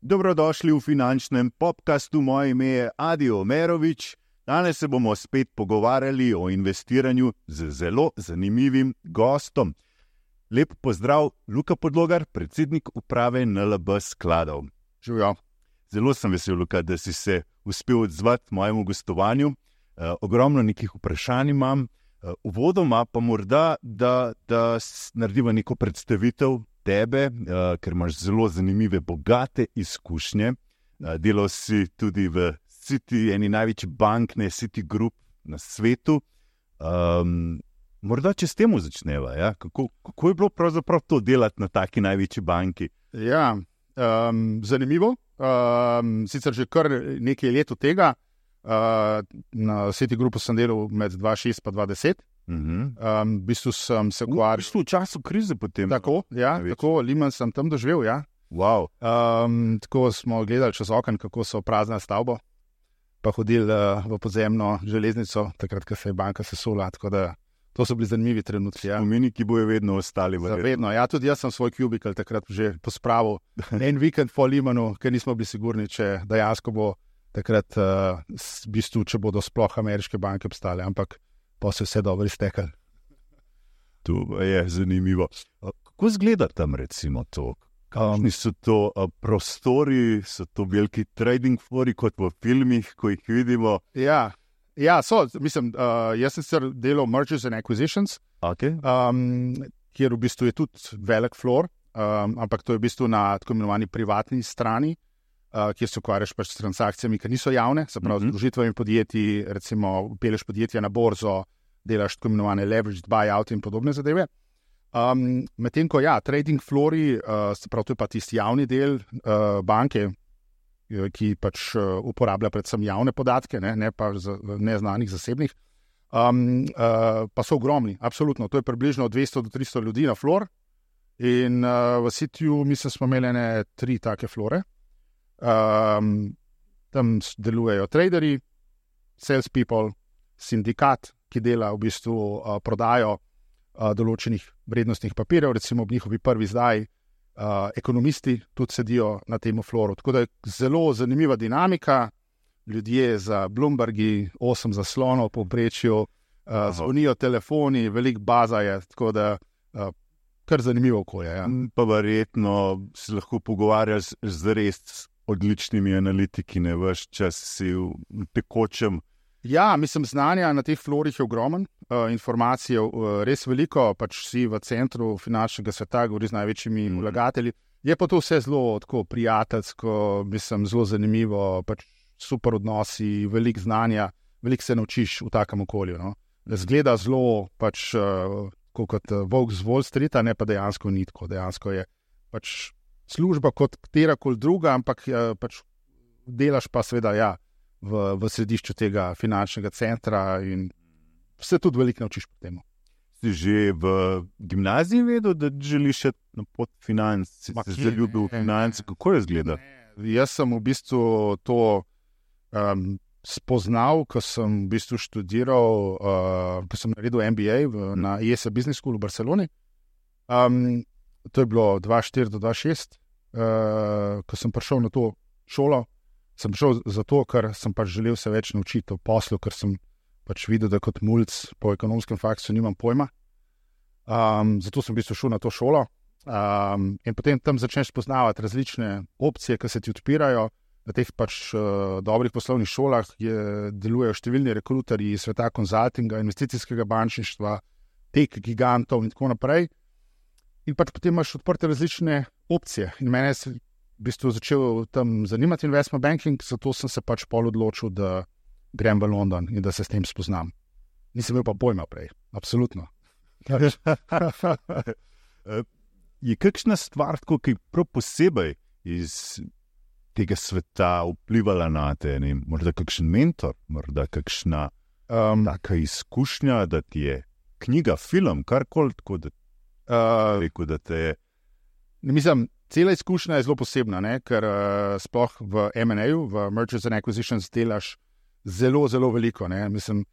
Dobrodošli v finančnem podcastu. Moje ime je Adi Omerovič. Danes se bomo spet pogovarjali o investiranju z zelo zanimivim gostom. Lep pozdrav, Luka Podlogar, predsednik uprave NLB skladov. Živijo. Zelo sem vesel, Luka, da si se uspel odzvati mojemu gostovanju. Ogromno nekih vprašanj imam. Uvodoma pa morda, da narediva neko predstavitev tebe, ker imaš zelo zanimive, bogate izkušnje. Delal si tudi v Citi, eni največji bank, ne Citi Group na svetu. Morda če s temu začneva, ja? Kako je bilo pravzaprav to delati na taki največji banki? Ja, zanimivo. Sicer že kar nekaj let od tega. Na Citi Groupu sem delal med 2006 pa 2010. V bistvu sem se ukvarjal... V času krize potem? Tako, ja, tako, Lehman sem tam doživel, ja. Wow. Tako smo gledali čez okno, kako so prazne stavbo, pa hodili v podzemno železnico, takrat, ko se je banka sesula, tako da to so bili zanimivi trenutki. Ja. Spomini, ki bojo vedno ostali. Vedno, ja, tudi jaz sem svoj kubikel takrat že pospravil en vikend po Lehmanu, ker nismo bili sigurni, če dejansko bo takrat, v bistvu, če bodo sploh ameriške banke obstale, ampak pa se vse dobro iztekali. To je zanimivo. Kako izgleda tam recimo to? Kakšni so to prostori, so to veliki trading floori kot v filmih, ko jih vidimo? Ja, so, mislim, jaz sem sicer delal mergers and acquisitions, Okay. Kjer v bistvu je tudi velik floor, ampak to je v bistvu na tako imenovani privatni strani, kjer se ukvarjaš pač s transakcijami, ki niso javne, se pravi z združitvami podjetij, recimo peleš podjetja na borzo, delaš tako imenovane leveraged buyout in podobne zadeve. Medtem ko trading floori, se pravi, to je pa tisti javni del banke, ki pač uporablja predvsem javne podatke, ne pa neznanih zasebnih, pa so ogromni, absolutno. To je približno 200 do 300 ljudi na floor in v Citiju mislim, smo imeli 3 take floore. Tam delujejo traderji, salespeople, sindikat, ki dela v bistvu prodajo določenih vrednostnih papirjev, recimo ob njihovi prvi izdaji, ekonomisti tudi sedijo na tem flooru. Tako da je zelo zanimiva dinamika, ljudje za Bloombergi, 8 zaslonov po povprečju, zvonijo telefoni, veliko baza je, tako da kar zanimivo okolje. Ja. Pa verjetno se lahko pogovarjaš z res odličnimi analitiki, ne veš, čas si v tekočem. Ja, mislim, znanja na teh florih je ogromen, informacije res veliko, pač si v centru finančnega sveta, govori z največjimi vlagatelji. Je pa to vse zelo tako prijateljsko, mislim, zelo zanimivo, pač super odnosi, veliko znanja, veliko se naučiš v takem okolju. No? Zgleda zelo pač kot volk z Wall Streeta, ne pa dejansko ni tako. Dejansko je pač služba kot katerakoli druga, ampak pač delaš pa seveda v središču tega finančnega centra in se tudi veliko naučiš po temu. Si že v gimnaziji vedel, da želiš na pot financ, si se zaljubil v finance, kako je izgleda? Jaz sem v bistvu to spoznal, ko sem v bistvu študiral, ko sem naredil MBA na IES Business School v Barceloni. To je bilo 2004 do 2006, ko sem prišel na to šolo. Sem prišel zato, ker sem pač želel se več naučiti o poslu, ker sem pač videl, da kot mulc po ekonomskem faksu nimam pojma. Zato sem v bistvu šel na to šolo. In potem tam začneš spoznavati različne opcije, ki se ti odpirajo. Na teh pač dobrih poslovnih šolah delujejo številni rekruterji iz sveta konzultinga, investicijskega bančništva, tech gigantov in tako naprej. In pač potem imaš odprte različne opcije. In mene je v bistvu začel tam zanimati investment banking, zato sem se pač pol odločil, da grem v London in da se s tem spoznam. Nisem imel pa pojma prej, absolutno. Je kakšna stvar, ki prav posebej iz tega sveta vplivala na te? Morda kakšen mentor, morda kakšna taka izkušnja, da ti je knjiga, film, karkoli, tako da rekel, da te je... Mislim, cela izkušnja je zelo posebna, ker sploh v M&A-ju, v Mergers and Acquisitions delaš zelo, zelo veliko. Mislim,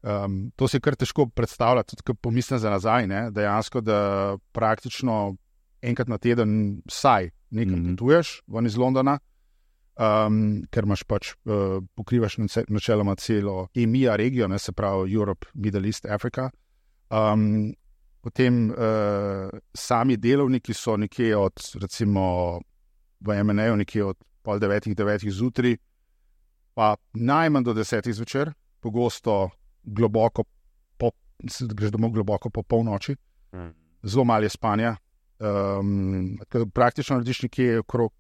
To si kar težko predstavljati, tudi ko pomislim za nazaj, ne? Dejansko, da praktično enkrat na teden vsaj nekaj potuješ ven iz Londona, ker imaš pač pokrivaš načeloma celo EMEA regijo, ne, se pravi Europe, Middle East, Africa. Potem sami delovniki so nekje od, recimo v M&A-ju nekje od 8:30, 9:00 zjutraj, pa najmanj do 10:00 zvečer, pogosto globoko greš domov globoko po polnoči, zelo malo je spanja. Praktično narediš nekje okrog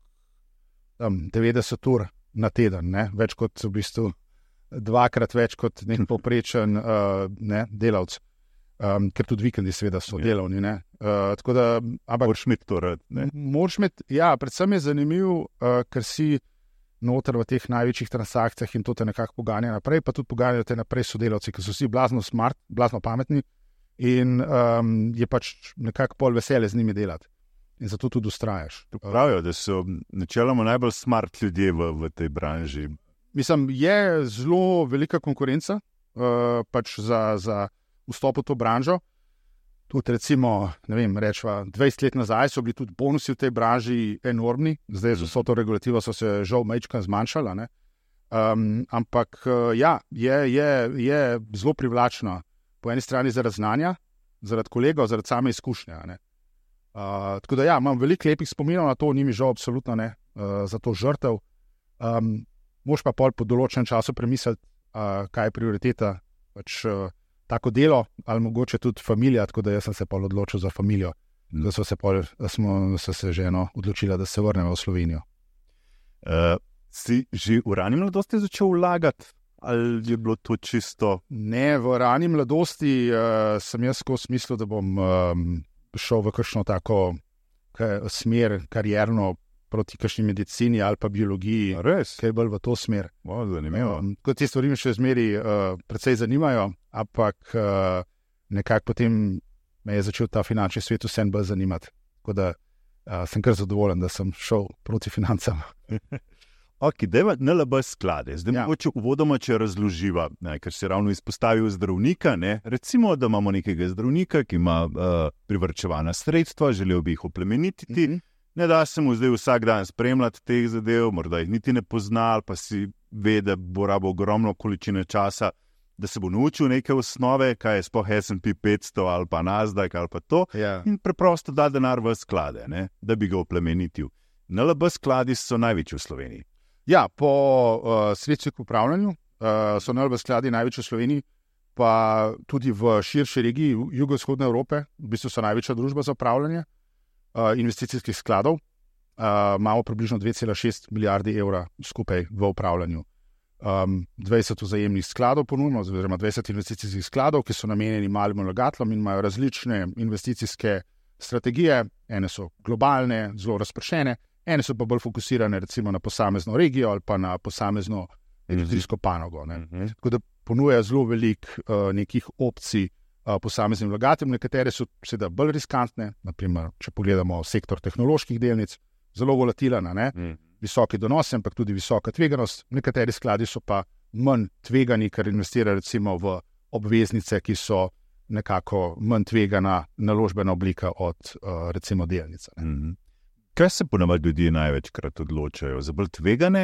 90 ur na teden, ne? Več kot v bistvu dvakrat več kot nek povprečen delavc, ker tudi vikendi seveda so delovni. Ne? Tako da, moraš imeti to rad. Moraš imeti, ja, predvsem je zanimiv, ker si noter v teh največjih transakcijah in to te nekako poganja naprej, pa tudi poganjajo te naprej sodelavci, ki so vsi blazno smart, blazno pametni in je pač nekako pol veselje z njimi delati. In zato tudi ustrajaš. Pravijo, da so načeloma najbolj smart ljudje v tej branži. Mislim, je zelo velika konkurenca pač za vstop v to branžo. Tudi recimo, ne vem, rečva, 20 let nazaj so bili tudi bonusi v tej branži enormni, zdaj z vso to regulativo so se žal majčkeno zmanjšala, ne? Ampak ja, je zelo privlačna po eni strani zaradi znanja, zaradi kolegov, zaradi same izkušnje, ne? Tako da ja, imam veliko lepih spominov na to, ni mi žal absolutno ne, za to žrtev. Moš pa pol po določenem času premisliti, kaj je prioriteta, pač tako delo ali mogoče tudi familija, tako da jaz sem se pol odločil za familijo, da smo se ženo odločila, da se vrnemo v Slovenijo. Si že v rani mladosti začel vlagati? Ali je bilo to čisto? Ne, v rani mladosti sem jaz skozi mislil, da bom šel v kakšno tako smer karierno proti kakšni medicini ali pa biologiji. Res? Kaj je bolj v to smer. Zanimivo. Kot te stvari me še zmeri precej zanimajo, ampak nekako potem me je začel ta finančni svet vsem bolj zanimati. Tako da sem kar zadovoljen, da sem šel proti financam. Ok, dajva NLB sklade. Zdaj mogoče uvodoma, če razloživa, ker si ravno izpostavil zdravnika, ne? Recimo, da imamo nekega zdravnika, ki ima privarčevana sredstva, želel bi jih oplemenititi, ne da se mu zdaj vsak dan spremljati teh zadev, morda jih niti ne pozna, ali pa si ve, da bo rabo ogromno količine časa, da se bo naučil neke osnove, kaj je sploh S&P 500 ali pa Nasdaq ali pa to, in preprosto da denar v sklade, ne? Da bi ga oplemenitil. NLB skladi so največji v Sloveniji. Ja, po sredstvih v upravljanju so NLB skladi največji v Sloveniji, pa tudi v širši regiji jugovzhodne Evrope, v bistvu so največja družba za upravljanje investicijskih skladov. Imamo približno 2,6 milijarde evra skupaj v upravljanju. 20 vzajemnih skladov ponujemo, oziroma 20 investicijskih skladov, ki so namenjeni malim vlagateljem in imajo različne investicijske strategije. Ene so globalne, zelo razpršene, ene so pa bolj fokusirane recimo na posamezno regijo ali pa na posamezno industrijsko panogo. Tako da ponujajo zelo veliko nekih opcij posameznim vlagateljem, nekatere so seveda bolj riskantne, naprimer, če pogledamo sektor tehnoloških delnic, zelo volatilen, visoki donosi, ampak tudi visoka tveganost. Nekateri skladi so pa manj tvegani, ker investirajo recimo v obveznice, ki so nekako manj tvegana naložbena oblika od recimo delnice. Kaj se ponavadi ljudje največkrat odločajo? Za bolj tvegane?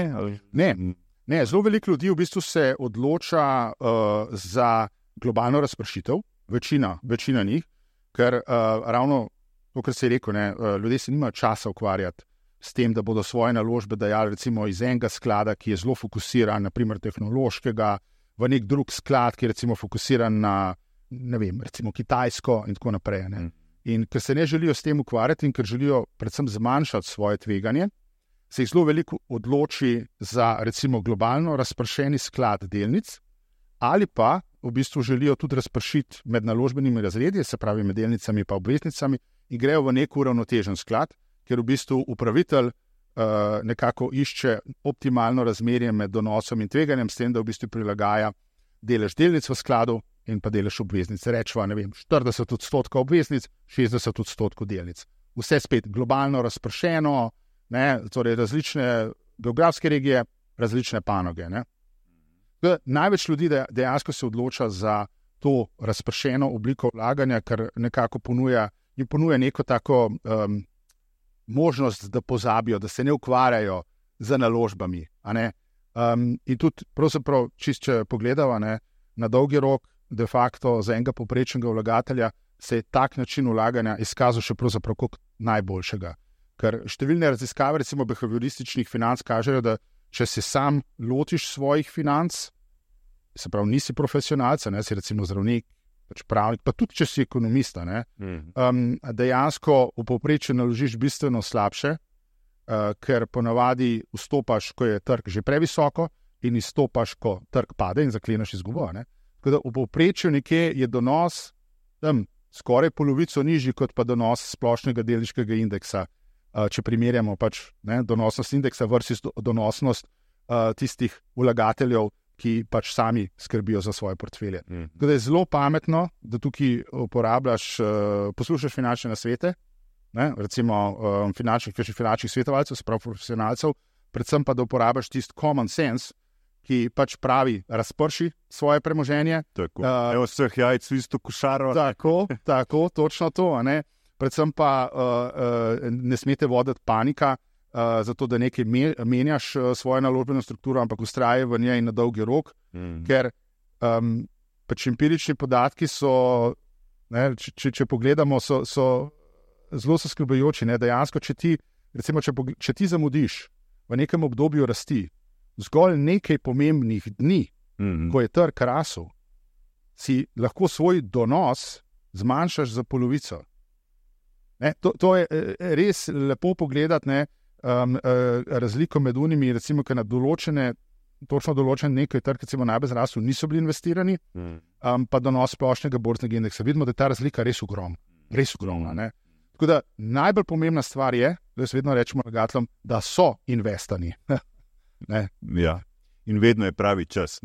Ne, zelo veliko ljudi v bistvu se odloča za globalno razpršitev, večina njih, ker ravno to, kar se je rekel, ljudje se nimajo časa ukvarjati s tem, da bodo svoje naložbe dajali recimo iz enega sklada, ki je zelo fokusiran, naprimer tehnološkega, v nek drug sklad, ki je recimo fokusiran na, ne vem, recimo Kitajsko in tako naprej. In ker se ne želijo s tem ukvarjati in ker želijo predvsem zmanjšati svoje tveganje, se jih zelo veliko odloči za recimo globalno razpršeni sklad delnic ali pa v bistvu želijo tudi razpršiti med naložbenimi razredi, se pravi med delnicami pa obveznicami, in grejo v nek uravnotežen sklad, ker v bistvu upravitelj nekako išče optimalno razmerje med donosom in tveganjem, s tem, da v bistvu prilagaja delež delnic v skladu in pa delež obveznic. Rečva, ne vem, 40% obveznic, 60% delnic. Vse spet globalno razpršeno, torej različne geografske regije, različne panoge. Največ ljudi dejansko se odloča za to razpršeno obliko vlaganja, ker nekako jim ponuja neko tako možnost, da pozabijo, da se ne ukvarjajo z naložbami. In tudi, pravzaprav, če pogledamo na dolgi rok, de facto za enega povprečnega vlagatelja se je tak način vlaganja izkazal še pravzaprav kot najboljšega. Ker številne raziskave, recimo behaviorističnih financ, kažejo, da če se sam lotiš svojih financ, se pravi, nisi profesionalec, si recimo zdravnik, pač pravnik, pa tudi če si ekonomista, dejansko v povprečju naložiš bistveno slabše, ker ponavadi vstopaš, ko je trg že previsoko, in izstopaš, ko trg pade in zakleneš izgubo. Tako da v povprečju nekje je donos tam skoraj polovico nižji kot pa donos splošnega delniškega indeksa, če primerjamo pač donosnost indeksa versus donosnost tistih vlagateljev, ki pač sami skrbijo za svoje portfelje. Tako da je zelo pametno, da tukaj poslušaš finančne nasvete, recimo finančnih svetovalcev, se pravi profesionalcev, predvsem pa da uporabiš tisti common sense, ki pač pravi, razprši svoje premoženje. Tako, vseh jajc v isto košaro. Tako, točno to. Predvsem pa ne smete voditi panika, zato da nekaj menjaš svojo naložbeno strukturo, ampak vztraje v njej na dolgi rok, ker pač empirični podatki so, če pogledamo, so zelo zaskrbljujoči. Dejansko, če ti zamudiš v nekem obdobju rasti, zgolj nekaj pomembnih dni, ko je trg rasel, si lahko svoj donos zmanjšaš za polovico. To je res lepo pogledati, razliko med unimi, recimo, ker na točno določen nekaj trg, recimo najbolj zrasel, niso bili investirani, pa donos splošnega borznega indeksa. Vidimo, da je ta razlika res ogromna. Tako da najbolj pomembna stvar je, da jaz vedno rečemo vlagateljem, da so investani. Ja. In vedno je pravi čas.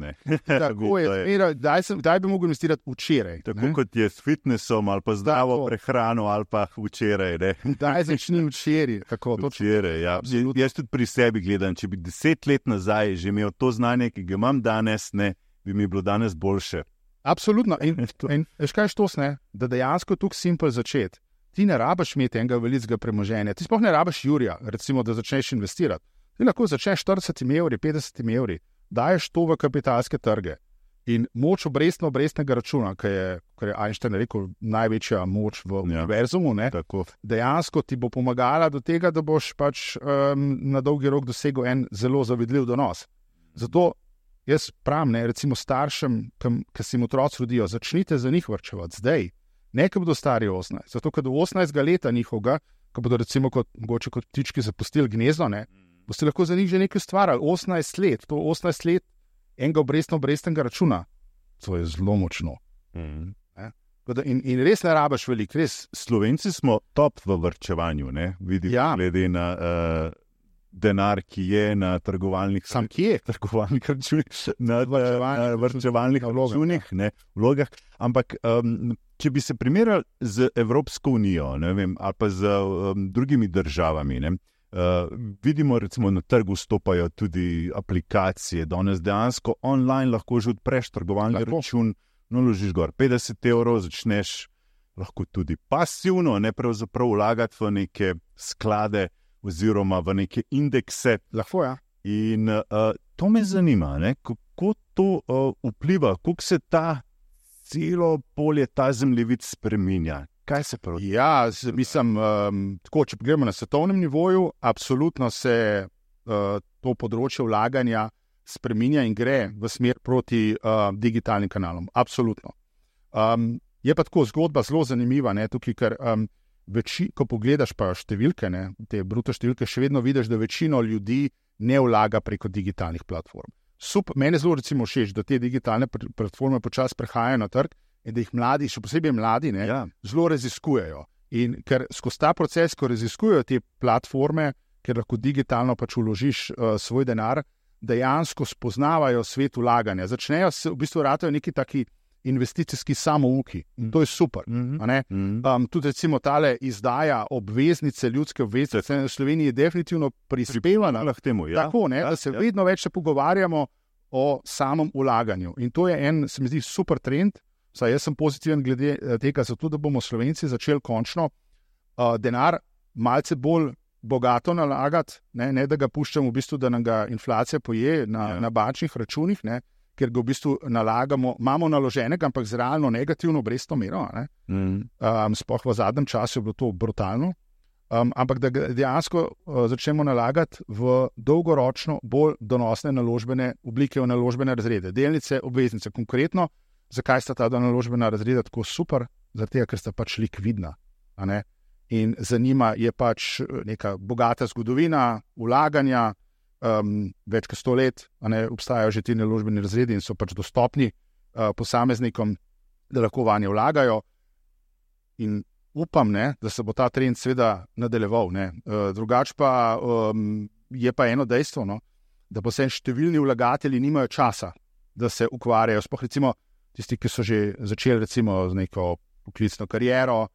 Tako je. Kdaj bi mogel investirati včeraj? Tako kot je s fitnessom ali pa zdravo prehrano ali pa včeraj. Daj začni včeraj. Včeraj, ja. Jaz tudi pri sebi gledam, če bi 10 let nazaj že imel to znanje, ki ga imam danes, bi mi bilo danes boljše. Absolutno. In veš kaj je to, da dejansko tukaj simpel začeti. Ti ne rabiš imeti enega velikega premoženja. Ti sploh ne rabiš jurja, recimo, da začneš investirati. Ti lahko začneš 40 evri, 50 evri. Daješ to v kapitalske trge in moč obrestnega računa, kar je Einstein rekel, največja moč v univerzumu, dejansko ti bo pomagala do tega, da boš pač na dolgi rok dosegel en zelo zavidljiv donos. Zato jaz pravim, recimo staršem, ki se jim otroci rodijo, začnite za njih varčevati zdaj, ne ko bodo stari 18. Zato, ker do 18. leta njihovega, ko bodo recimo mogoče kot ptički zapustili gnezdo, boste lahko za njih že nekaj ustvarjali. 18 let, to 18 let enega obrestnega računa, to je zelo močno. In res ne rabiš veliko, res. Slovenci smo top v varčevanju, vidim, glede na denar, ki je na trgovalnih računih, na varčevalnih vlogah. Ampak če bi se primerjali z Evropsko unijo, ali pa z drugimi državami, vidimo, recimo na trgu vstopajo tudi aplikacije, danes dejansko online lahko že odpreš trgovalni račun, naložiš gor 50 evrov, začneš lahko tudi pasivno, pravzaprav vlagati v neke sklade oziroma v neke indekse. Lahko, ja. In to me zanima, kako to vpliva, kako se ta celo polje, ta zemljevid spreminja. Kaj se pravi? Ja, mislim, tako, če pogledamo na svetovnem nivoju, absolutno se to področje vlaganja spreminja in gre v smer proti digitalnim kanalom. Absolutno. Je pa tako zgodba zelo zanimiva, tukaj, ker ko pogledaš pa številke, te bruto številke, še vedno vidiš, da večino ljudi ne vlaga preko digitalnih platform. Mene zelo recimo všeč, da te digitalne platforme počasi prehajajo na trg, in da jih mladi, še posebej mladi, zelo raziskujejo. In ker skozi ta proces, ko raziskujejo te platforme, ker lahko digitalno pač vložiš svoj denar, dejansko spoznavajo svet vlaganja. Začnejo se, v bistvu ratajo neki taki investicijski samouki. In to je super. Tudi recimo tale izdaja obveznice, ljudske obveznice v Sloveniji je definitivno prispevana k temu. Ja. Tako, da se vedno več pogovarjamo o samem vlaganju. In to je se mi zdi, super trend. Saj jaz sem pozitiven glede tega, zato da bomo Slovenci začeli končno denar malce bolj bogato nalagati, ne da ga puščamo v bistvu, da nam ga inflacija poje na bančnih računih, ne, ker ga v bistvu nalagamo, imamo naloženega, ampak z realno negativno obrestno mero. Sploh v zadnjem času je bilo to brutalno. Ampak da dejansko začnemo nalagati v dolgoročno bolj donosne naložbene oblike, v naložbene razrede. Delnice, obveznice. Konkretno, zakaj sta ta naložbena razreda tako super? Zaradi tega, ker sta pač likvidna. In za njima je pač neka bogata zgodovina, vlaganja, več kot 100 let, obstajajo že ti naložbeni razredi in so pač dostopni posameznikom, da lahko vanje vlagajo. In upam, da se bo ta trend seveda nadaljeval. Drugače pa je pa eno dejstvo, da pa se številni vlagatelji nimajo časa, da se ukvarjajo. Sploh recimo tisti, ki so že začeli recimo z neko poklicno kariero,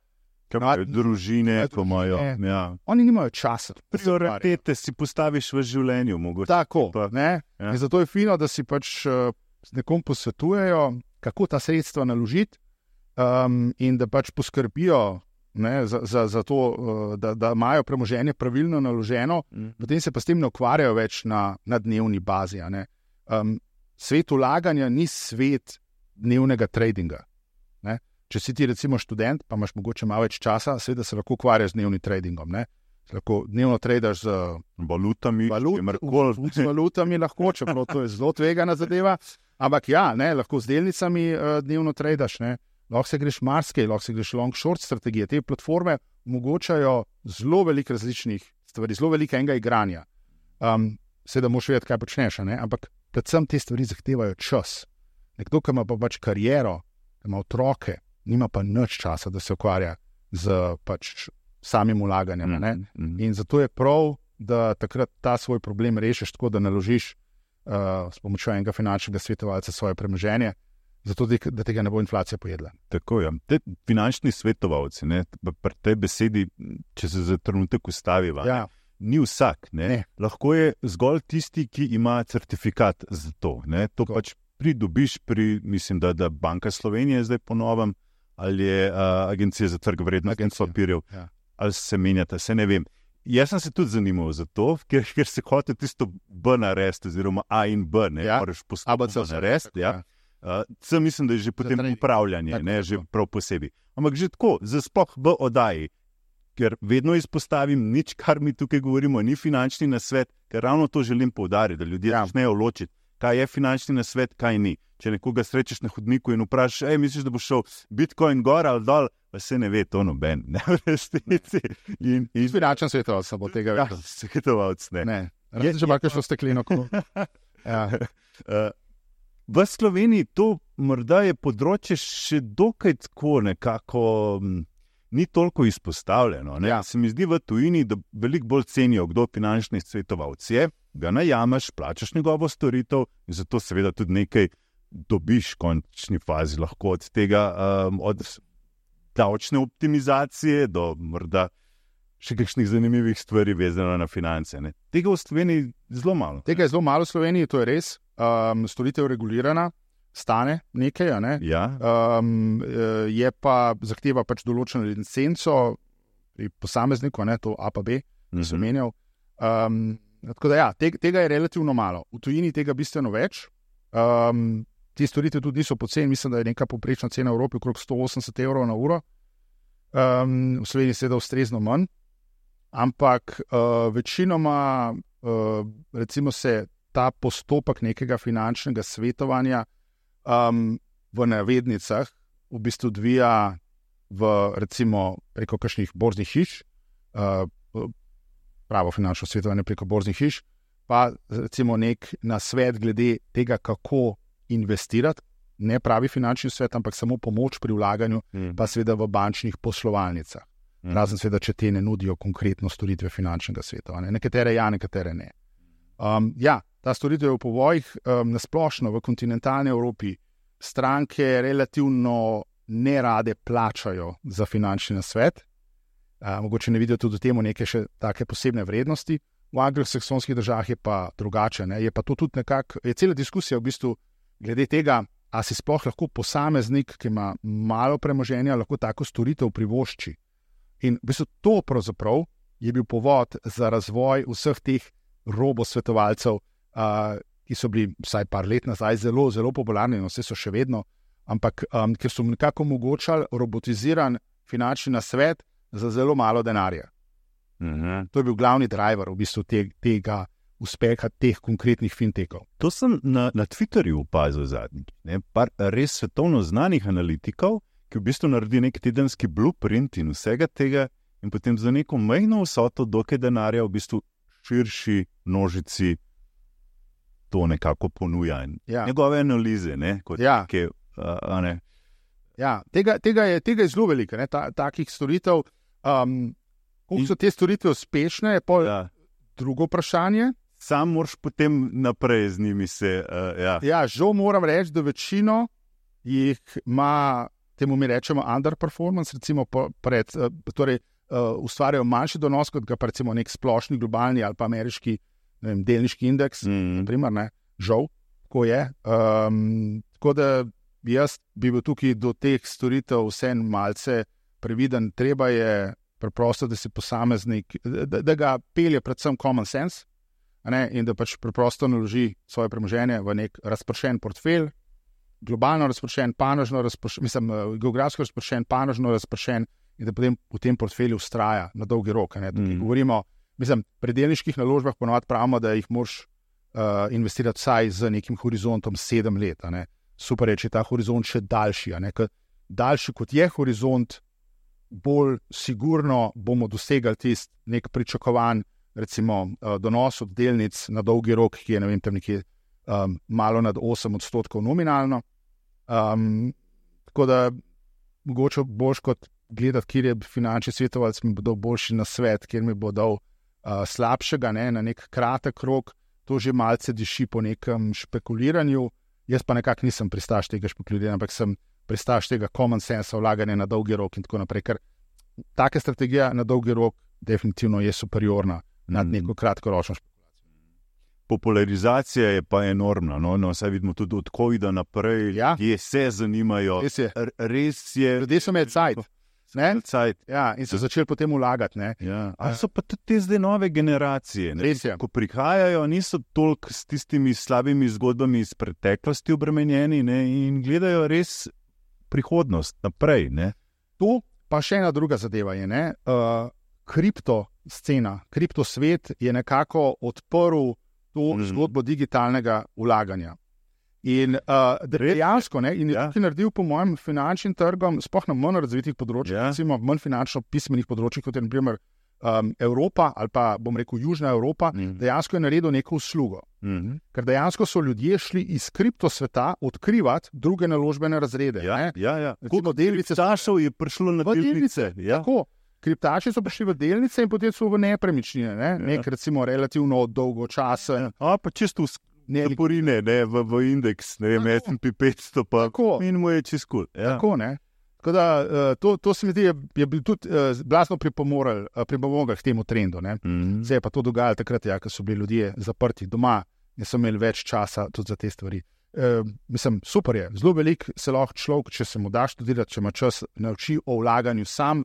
družine, ko imajo. Ja. Oni nimajo časa. Prioritete si postaviš v življenju, mogoče. Tako, Ja. In zato je fino, da si pač s nekom posvetujejo, kako ta sredstva naložiti, in da pač poskrbijo za to, da imajo premoženje pravilno naloženo, potem se pa s tem ne ukvarjajo več na dnevni bazi. Svet vlaganja ni svet dnevnega tradinga. Če si ti recimo študent, pa imaš mogoče malo več časa, seveda se lahko ukvarjaš z dnevnim tradingom. Lahko dnevno tradaš z valutami, z valutami lahko, čeprav to je zelo tvegana zadeva. Ampak ja, lahko z delnicami dnevno tradaš. Lahko se greš marsikaj, lahko se greš long-short strategije. Te platforme omogočajo zelo veliko različnih stvari, zelo veliko enega igranja. Seveda moraš vedeti, kaj počneš, ampak predvsem te stvari zahtevajo čas. Nekdo, ki ima pa pač kariero, ki ima otroke, nima pa nič časa, da se ukvarja z pač samim vlaganjem. In zato je prav, da takrat ta svoj problem rešiš tako, da naložiš s pomočjo enega finančnega svetovalca svoje premoženje, zato da tega ne bo inflacija pojedla. Tako je. Te finančni svetovalci, pri tej besedi, če se za trenutek ustaviva, ni vsak. Lahko je zgolj tisti, ki ima certifikat za to. To pač pridobiš mislim, da Banka Slovenije zdaj po novem, ali je Agencija za trg vrednostnih papirjev, ali se menjate, se ne vem. Jaz sem se tudi zanimal za to, ker se hoče tisto B narediti, oziroma A in B, moraš postopno narediti. C mislim, da je že potem upravljanje, že prav posebej. Ampak že tako, za sploh B oddaji, ker vedno izpostavim, nič, kar mi tukaj govorimo, ni finančni nasvet, ker ravno to želim poudariti, da ljudje začnejo ločiti, kaj je finančni nasvet, kaj ni. Če nekoga srečeš na hodniku in vprašaš, misliš, da bo šel Bitcoin gor ali dol, pa se ne ve, to noben, v resnici. In finančni svetovalec bo tega vedel. Svetovalec ne. Je že malo šlo stekleno. V Sloveniji to morda je področje še dokaj tako nekako ni toliko izpostavljeno. Se mi zdi v tujini, da veliko bolj cenijo, kdo finančni svetovalec je, ga najameš, plačaš njegovo storitev in zato seveda tudi nekaj dobiš v končni fazi lahko od tega, od davčne optimizacije do morda še kakšnih zanimivih stvari vezano na finance. Tega v Sloveniji zelo malo. Tega je zelo malo v Sloveniji, to je res. Storitev regulirana, stane nekaj, Ja. Je pa zahteva pač določeno licenco pri posamezniku, to A pa B, sem menjal. Tako da tega je relativno malo. V tujini tega bistveno več. Te storitve tudi niso poceni, mislim, da je neka povprečna cena v Evropi okrog 180 € na uro. V Sloveniji seveda ustrezno manj, ampak večinoma recimo se ta postopek nekega finančnega svetovanja v navednicah v bistvu odvija recimo preko kakšnih borznih hiš, pravo finančno svetovanje preko borznih hiš, pa recimo nek nasvet glede tega, kako investirati, ne pravi finančni svet, ampak samo pomoč pri vlaganju, pa seveda v bančnih poslovalnicah. Razen seveda, če te ne nudijo konkretno storitve finančnega svetovanja. Nekatere ja, nekatere ne. Ta storitev je v povojih nasplošno v kontinentalni Evropi stranke relativno nerade plačajo za finančni nasvet. Mogoče ne vidijo tudi v temu neke še take posebne vrednosti. v anglosaksonskih državah je pa drugače. Ne? Je pa to tudi nekako, je cela diskusija v bistvu glede tega, a si sploh lahko posameznik, ki ima malo premoženja, lahko tako storitev privošči. In v bistvu to pravzaprav je bil povod za razvoj vseh teh robosvetovalcev, ki so bili vsaj par let nazaj zelo, zelo popularni, no vse so še vedno, ampak ker so nekako omogočali robotiziran finančni nasvet za zelo malo denarja. To je bil glavni driver v bistvu tega uspeha teh konkretnih fintechov. To sem na Twitterju opazil zadnjič. Par res svetovno znanih analitikov, ki v bistvu naredi nek tedenski blueprint in vsega tega in potem za neko majhno vsoto dokaj denarja v bistvu širši množici to nekako ponuja. Njegove analize, ne? Kot neke, ne? Ja, tega je zelo veliko, takih storitev. Kako so te storitve uspešne, je pa drugo vprašanje. Sam moraš potem naprej z njimi se... žal moram reči, da večino jih ima, temu mi rečemo underperformance, recimo ustvarjajo manjši donos, kot ga pa recimo nek splošni globalni ali pa ameriški delniški indeks, naprimer, ne, žal, tako je. Tako da jaz bi bil tukaj do teh storitev vsem malce previden. Treba je preprosto, da si posameznik, da ga pelje predvsem common sense, in da pač preprosto naloži svoje premoženje v nek razpršen portfelj, globalno razpršen, panožno razpršen, geografsko razpršen, panožno razpršen, in da potem v tem portfelju vztraja na dolgi rok. Govorimo, pri delniških naložbah ponovadi pravimo, da jih moraš investirati vsaj z nekim horizontom 7 let. Super je, če je ta horizont še daljši. Daljši kot je horizont, bolj sigurno bomo dosegali tisti nek pričakovan, recimo donos od delnic na dolgi rok, ki je tam nekje malo nad 8% nominalno. Tako da mogoče boš kot gledati, kjer je finančni svetovalec, mi bo dal boljši nasvet, kjer mi bo dal slabšega, na nek kratek rok. To že malce diši po nekem špekuliranju. Jaz pa nekako nisem pristaš tega špekuliranja, ampak sem pristaš tega common sense vlaganja na dolgi rok in tako naprej, ker taka strategija na dolgi rok definitivno je superiorna nad neko kratkoročno špekulacijo. Popularizacija je pa enormna. Saj vidimo tudi od COVID-a naprej, ljudje se zanimajo. Res je. Ljudje so imeli cajt. In so začeli potem vlagati. Ali so pa tudi te zdaj nove generacije, ko prihajajo, niso toliko s tistimi slabimi zgodbami iz preteklosti obremenjeni in gledajo res prihodnost naprej. To pa še ena druga zadeva je, kripto scena, kripto svet je nekako odprl to zgodbo digitalnega vlaganja. In dejansko, in je tukaj naredil po mojem finančnim trgom, sploh na manj razvitih področjih, recimo manj finančno pismenih področjih, kot je na primer Evropa ali pa bom rekel Južna Evropa, dejansko je naredil neko uslugo. Ker dejansko so ljudje šli iz kripto sveta odkrivati druge naložbene razrede. Koliko delničarjev je prišlo na delnice? Tako. Kriptači so prišli v delnice in potem so v nepremičnine, nek recimo relativno dolgo časa. Pa čisto zaporine, v indeks, S&P 500, pa in mu je čisto cool. Tako, Tako da to se mi zdi, je bil tudi blazno pripomogel k temu trendu. Se je pa to dogajalo takrat, ko so bili ljudje zaprti doma in so imeli več časa tudi za te stvari. Super je, zelo veliko se lahko človek, če se mu da študirati, če ima čas, nauči o vlaganju sam.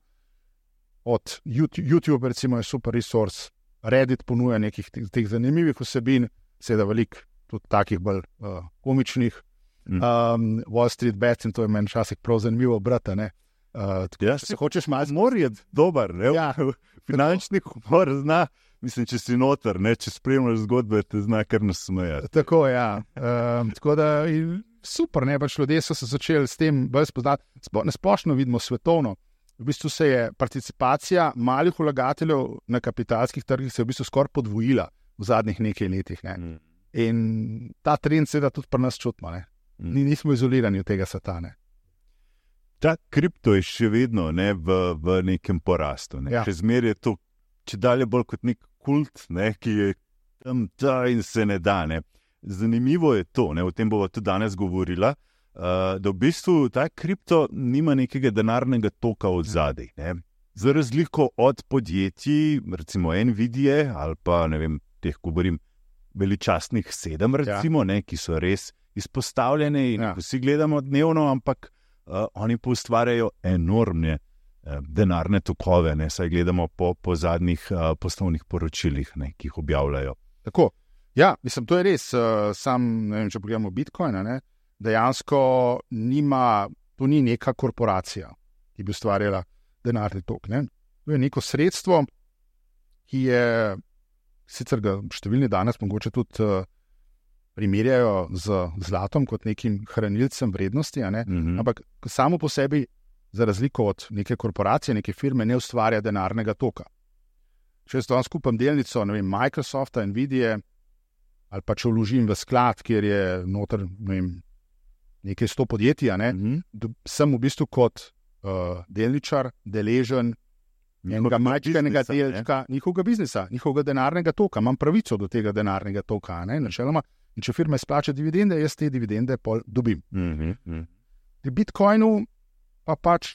Od YouTube, recimo, je super resource, Reddit ponuja nekih teh zanimivih vsebin, seveda veliko tudi takih bolj komičnih. Wall Street Bets, in to je meni včasih prav zanimivo brati. Se hočeš malo humor je dober, finančni humor zna, če si noter, če spremljaš zgodbe, te zna kar nasmejati. Tako, tako da super, pač ljudje so se začeli s tem bolj spoznati. Splošno vidimo svetovno. V bistvu se je participacija malih vlagateljev na kapitalskih trgih se je v bistvu skoraj podvojila v zadnjih nekaj letih. In ta trend seveda tudi pri nas čutimo. Nismo izolirani od tega sveta. Ta kripto je še vedno v nekem porastu. Še zmeraj je to, če dalje bolj kot nek kult, ki je tam in se ne da. Zanimivo je to, o tem bova tudi danes govorila, da v bistvu ta kripto nima nekega denarnega toka od zadaj. Za razliko od podjetij, recimo Nvidia ali pa ne vem, teh, govorim, veličastnih 7, recimo, ne, ki so res izpostavljene in vsi gledamo dnevno, ampak oni pa ustvarjajo enormne denarne tokove, ne, saj gledamo po zadnjih poslovnih poročilih, ne, ki jih objavljajo. Tako. Ja, mislim, to je res. Ne vem, če pogledamo Bitcoina, ne, dejansko to ni neka korporacija, ki bi ustvarjala denarni tok. Ne. To je neko sredstvo, ki je, sicer ga številni danes mogoče tudi primerjajo z zlatom kot nekim hranilcem vrednosti, ampak samo po sebi, za razliko od neke korporacije, neke firme, ne ustvarja denarnega toka. Če jaz danes kupam delnico, ne vem, Microsofta, Nvidia, ali pa če vložim v sklad, kjer je noter, ne vem, nekaj 100 podjetij, sem v bistvu kot delničar deležen enega majhnega delčka njihovega biznisa, njihovega denarnega toka. Imam pravico do tega denarnega toka, načeloma. In če firma izplača dividende, jaz te dividende pol dobim. Pri Bitcoinu pa pač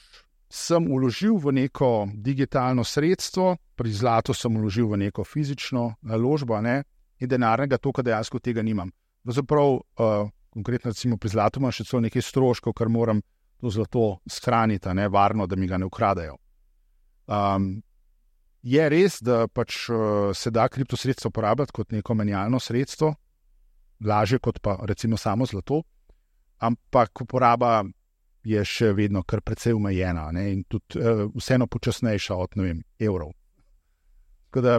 sem vložil v neko digitalno sredstvo, pri zlatu sem vložil v neko fizično naložbo, in denarnega toka dejansko tega nimam. Zaprav, konkretno recimo pri zlatu imam še celo nekaj stroškov, ker moram to zlato shraniti, varno, da mi ga ne ukradajo. Je res, da pač se da kriptosredstvo uporabljati kot neko menjalno sredstvo, lažje kot pa recimo samo zlato, ampak uporaba je še vedno kar precej omejena, in tudi vseeno počasnejša od, ne vem, evrov. Tako da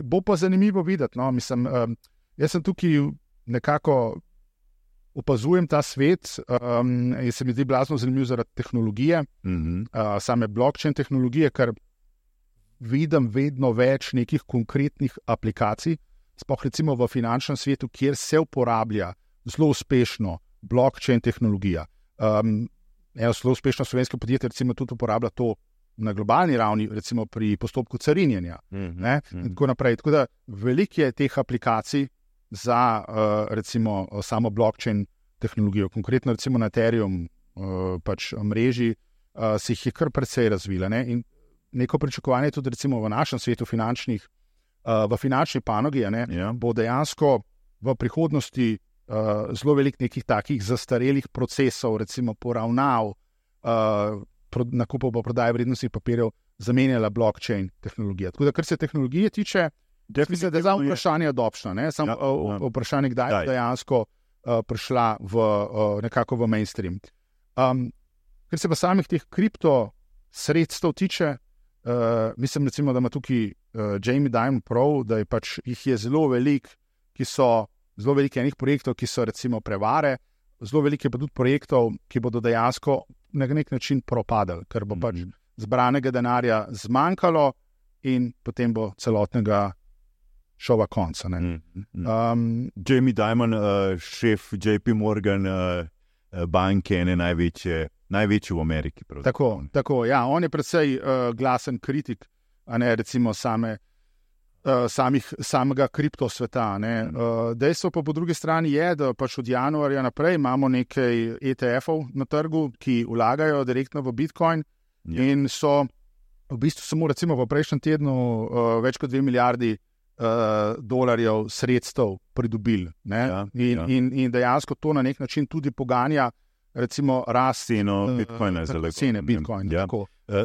bo pa zanimivo videti, mislim, jaz sem tukaj nekako opazujem ta svet, in se mi zdi blazno zanimiv zaradi tehnologije, same blockchain tehnologije, ker vidim vedno več nekih konkretnih aplikacij, sploh recimo v finančnem svetu, kjer se uporablja zelo uspešno blockchain tehnologija. Zelo uspešno slovensko podjetje recimo tudi uporablja to na globalni ravni, recimo pri postopku carinjenja. In tako naprej. Tako da veliko je teh aplikacij za recimo samo blockchain tehnologijo. Konkretno recimo na Ethereum pač mreži se jih je kar precej razvila. In neko pričakovanje tudi recimo v našem svetu v finančni panogi, bo dejansko v prihodnosti zelo veliko nekih takih zastarelih procesov, recimo poravnav, nakupov pa prodaje vrednostnih papirjev zamenjala blockchain tehnologija. Tako da, kar se tehnologije tiče, mislim, da je za vprašanje adoption, vprašanje, kdaj je dejansko prišla nekako v mainstream. Ker se pa samih teh kripto sredstev tiče, mislim recimo, da ima tukaj Jamie Dimon prav, da je pač jih je zelo veliko, zelo veliko enih projektov, ki so recimo prevare, zelo veliko je pa tudi projektov, ki bodo dejansko na nek način propadali, ker bo pač zbranega denarja zmanjkalo in potem bo celotnega šova konca. Jamie Dimon, šef JP Morgan banke, ene največji v Ameriki. Tako, ja, on je precej glasen kritik, recimo samega kriptosveta. Dejstvo pa po drugi strani je, da pač od januarja naprej imamo nekaj ETF-ov na trgu, ki vlagajo direktno v Bitcoin in so v bistvu samo recimo v prejšnjem tednu več kot 2 milijardi dolarjev sredstev pridobili. In dejansko to na nek način tudi poganja recimo rast cene Bitcoina.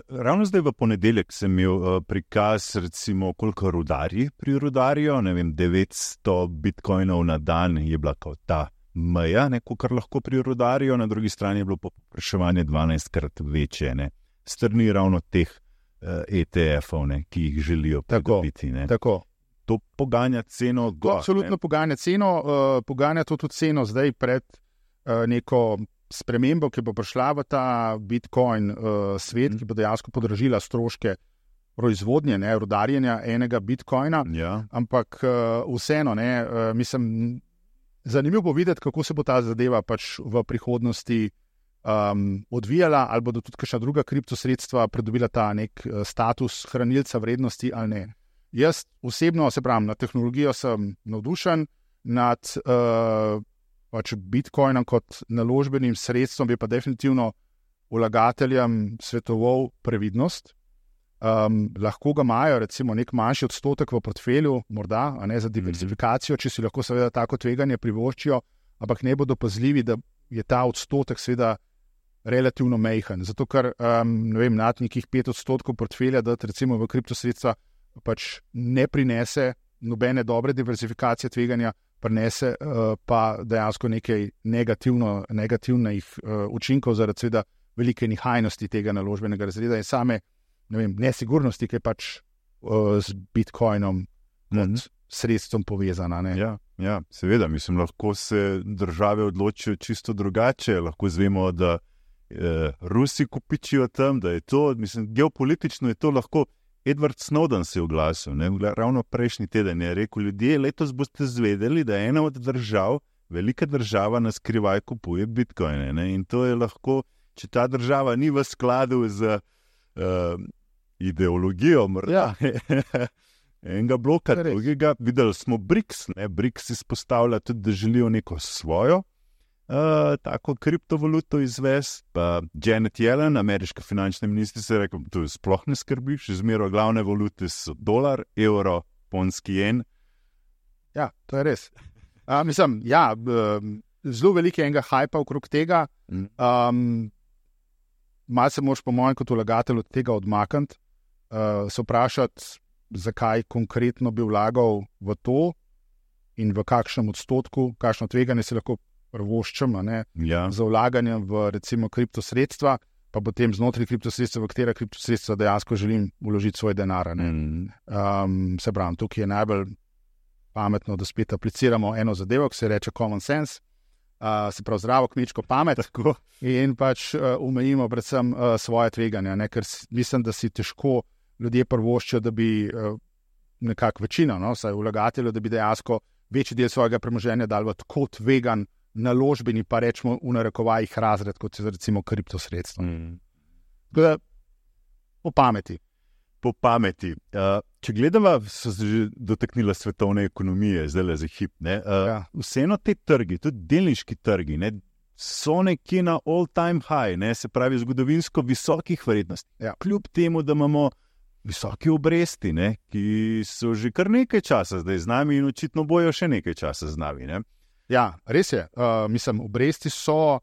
Ravno zdaj v ponedeljek sem imel prikaz, recimo, koliko rudarji prirudarijo, ne vem, 900 bitcoinov na dan je bila kot ta meja, kar lahko prirudarijo, na drugi strani je bilo povpraševanje 12-krat večje, strani ravno teh ETF-ov, ki jih želijo pridobiti. Tako. To poganja ceno gor. Absolutno poganja ceno, poganja to tudi ceno zdaj pred neko spremembo, ki bo prišla v ta Bitcoin svet, ki bo dejansko podražila stroške proizvodnje, rudarjenja enega Bitcoina, ampak vseeno, mislim, zanimivo bo videti, kako se bo ta zadeva pač v prihodnosti odvijala, ali bodo tudi kakšna druga kriptosredstva pridobila ta nek status hranilca vrednosti ali ne. Jaz osebno, se pravim, na tehnologijo sem navdušen, nad pač Bitcoinom kot naložbenim sredstvom bi pa definitivno vlagateljem svetoval previdnost, lahko ga imajo, recimo, nek manjši odstotek v portfelju, morda, a ne za diverzifikacijo, če si lahko seveda tako tveganje privoščijo, ampak ne bodo pazljivi, da je ta odstotek seveda relativno majhen. Zato, ker nad nekih 5% portfelja, da recimo v kriptosredstva pač ne prinese nobene dobre diverzifikacije tveganja, prinese pa dejansko nekaj negativnih učinkov zaradi seveda velike nihajnosti tega naložbenega razreda in same nesigurnosti, ki je pač z Bitcoinom kot sredstvom povezana. Ne? Ja, seveda, mislim, lahko se države odločijo čisto drugače, lahko zvemo, da Rusi kupičijo tam, da je to, mislim, geopolitično je to lahko. Edward Snowden se je oglasil, ravno prejšnji teden je rekel, ljudje, letos boste zvedeli, da ena od držav, velika država na skrivaj kupuje bitcoine. Ne? In to je lahko, če ta država ni v skladu z ideologijo, morda enega bloka, drugega. Videli smo BRICS, BRICS izpostavlja tudi, da želijo neko svojo tako kriptovaluto izvesti. Pa Janet Yellen, ameriška finančna ministrica, je rekel, to sploh ne skrbi, še zmeraj glavne valute so dolar, evro, ponski jen. Ja, to je res. Zelo veliko enega hajpa okrog tega. Malo se moraš po mojem kot vlagatelj od tega odmakniti, se vprašati, zakaj konkretno bi vlagal v to in v kakšnem odstotku, kakšno tveganje se lahko prvoščem, za vlaganje v recimo kriptosredstva, pa potem znotraj kriptosredstva, v katera kriptosredstva dejansko želim vložiti svoj denar. Se pravim, tukaj je najbolj pametno, da spet apliciramo eno zadevo, ki se reče common sense, se pravi zdravo kmečko pamet in pač omejimo predvsem svoje tveganja, ker mislim, da si težko ljudje prvoščijo, da bi nekako večina, saj vlagateljev, da bi dejansko večji del svojega premoženja dal v tako tvegan naložbeni, pa rečemo v narekovajih razred, kot je recimo kriptosredstvo. Po pameti. Po pameti. Če gledava, so se že dotaknila svetovne ekonomije, zdaj le za hip. Vseeno te trgi, tudi delniški trgi, so nekje na all-time high, se pravi zgodovinsko visokih vrednosti. Kljub temu, da imamo visoke obresti, ki so že kar nekaj časa zdaj z nami in očitno bojo še nekaj časa z nami. Ja, res je. Mislim, obresti so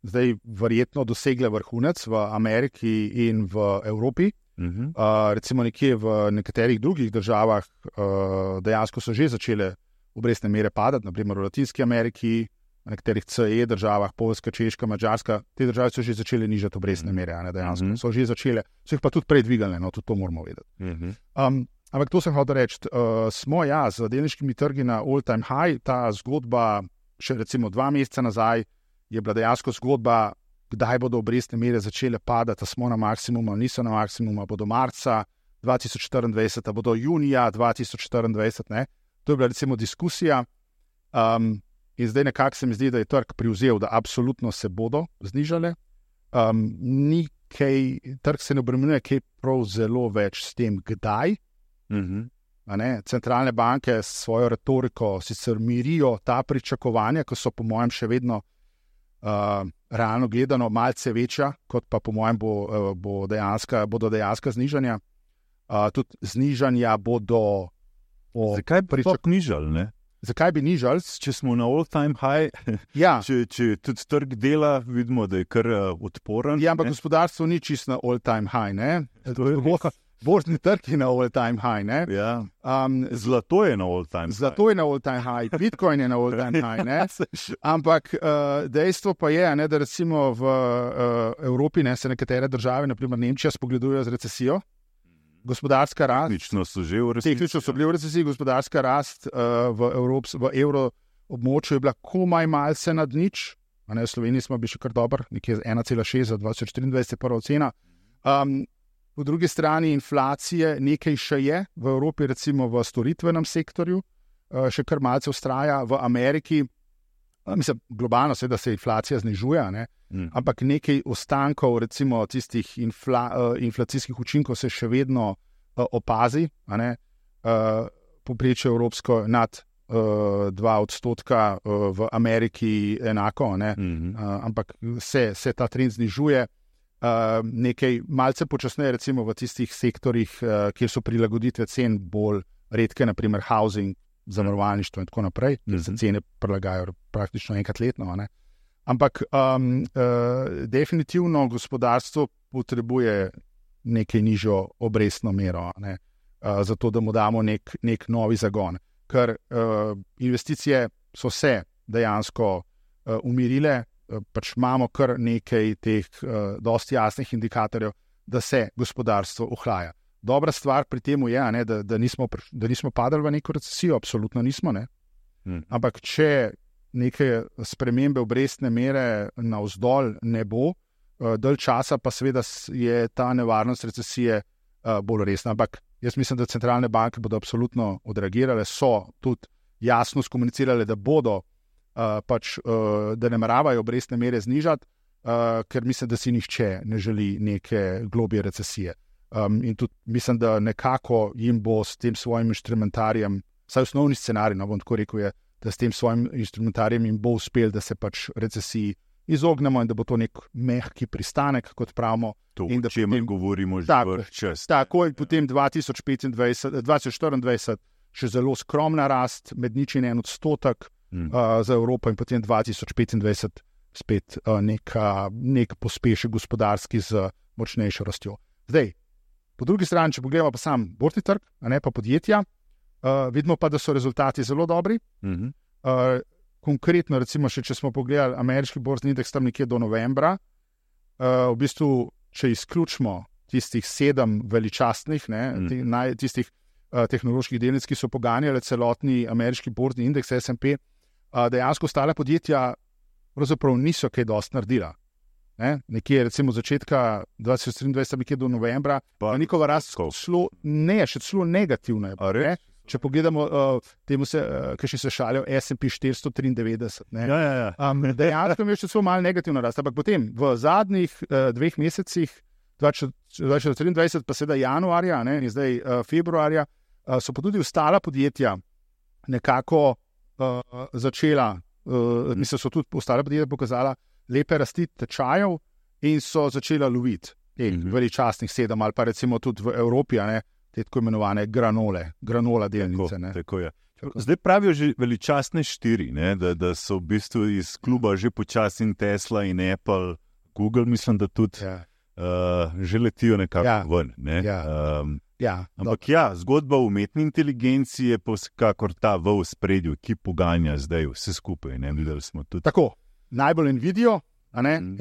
zdaj verjetno dosegle vrhunec v Ameriki in v Evropi. Recimo nekje v nekaterih drugih državah dejansko so že začele obrestne mere padati, naprimer v Latinski Ameriki, v nekaterih CE državah, Poljska, Češka, Madžarska, te države so že začele nižati obrestne mere, dejansko so že začele, so jih pa tudi prej dvigali, tudi to moramo vedeti. Ampak to sem hotel reči, smo z delniškimi trgi na all-time high, ta zgodba še recimo 2 meseca nazaj je bila dejansko zgodba, kdaj bodo obrestne mere začele padati, smo na maksimumu, niso na maksimumu, bodo marca 2024, bodo junija 2024, to je bila recimo diskusija in zdaj nekako se mi zdi, da je trg privzel, da absolutno se bodo znižale, trg se ne obremenjuje kaj prav zelo več s tem, kdaj. Centralne banke s svojo retoriko sicer mirijo ta pričakovanja, ki so po mojem še vedno realno gledano malce večja, kot pa po mojem bodo dejanska znižanja. Tudi znižanja bodo... Zakaj bi to nižali, Zakaj bi nižali? Če smo na all-time high, če tudi trg dela, vidimo, da je kar odporen. Ja, ampak gospodarstvo ni čisto na all-time high, Borzni trg je na all-time high, Zlato je na all-time high. Zlato je na all-time high, Bitcoin je na all-time high, Ampak dejstvo pa je, da recimo v Evropi se nekatere države, naprimer Nemčija, spogledujejo z recesijo. Gospodarska rast. Tehnično so že v recesiji. Tehnično so bili v recesiji, gospodarska rast v evroobmočju je bila komaj malce nad nič. V Sloveniji smo bili še kar dober, nekje 1,6 za 2024 je prva ocena. Po drugi strani inflacije nekaj še je v Evropi, recimo v storitvenem sektorju, še kar malce vztraja v Ameriki. Mislim, globalno se inflacija znižuje, ampak nekaj ostankov, recimo tistih inflacijskih učinkov se še vedno opazi. Povprečje evropsko nad 2% v Ameriki enako, ampak se ta trend znižuje. nekaj malce počasneje, recimo v tistih sektorjih, kjer so prilagoditve cen bolj redke, naprimer housing, zavarovalništvo in tako naprej, ker se cene prilagajajo praktično enkrat letno. Ne? Ampak definitivno gospodarstvo potrebuje nekaj nižjo obrestno mero, ne? Zato da mu damo nek novi zagon. Ker investicije so se dejansko umirile, pač imamo kar nekaj teh dosti jasnih indikatorjev, da se gospodarstvo ohlaja. Dobra stvar pri tem je, ne, da nismo padali v neko recesijo, absolutno nismo. Ne? Ampak če neke spremembe obrestne mere navzdol ne bo, dalj časa pa seveda je ta nevarnost recesije bolj resna. Ampak jaz mislim, da centralne banke bodo absolutno odreagirale, so tudi jasno skomunicirale, da bodo da nameravajo obrestne mere znižati, ker mislim, da si nihče ne želi neke globje recesije. In tudi mislim, da nekako jim bo s tem svojim instrumentarijem, vsaj osnovni scenarij, no bom tako rekel, je, da s tem svojim instrumentarijem jim bo uspel, da se pač recesiji izognemo in da bo to nek mehki pristanek, kot pravimo. To, o čemer govorimo že vrh čas. Tako je potem 2024 še zelo skromna rast, med 0,1% za Evropo in potem 2025 spet nek pospešek gospodarski z močnejšo rastjo. Zdaj, po drugi strani, če pogledamo pa sam borzni trg, a ne pa podjetja, vidimo pa, da so rezultati zelo dobri. Konkretno, recimo, če smo pogledali ameriški borzni indeks tam nekje do novembra, v bistvu, če izključimo tistih 7 veličastnih, tistih tehnoloških delnic, ki so poganjale celotni ameriški borzni indeks S&P, dejansko ostale podjetja pravzaprav niso kaj dosti naredila. Nekje recimo začetka 2023, nekje do novembra, pa njihova rast še celo negativna je. Če pogledamo, ki se šalijo S&P 493. Dejansko je še celo malo negativna rast, ampak potem v zadnjih 2 mesecih, 2023 pa seveda januarja in zdaj februarja, so pa tudi ostala podjetja nekako začela, mislim, so tudi ostale podjetja pokazala lepe rasti tečajev in so začela loviti veličastnih 7 ali pa recimo tudi v Evropi, te tako imenovane granola delnice. Tako je. Zdaj pravijo že veličastne 4, da so v bistvu iz kluba že počasi in Tesla in Apple, Google, mislim, da tudi že letijo nekako ven. Ampak zgodba o umetni inteligenci je pa vsekakor ta v ospredju, ki poganja zdaj vse skupaj. Videli smo tudi. Tako, najbolj Nvidia,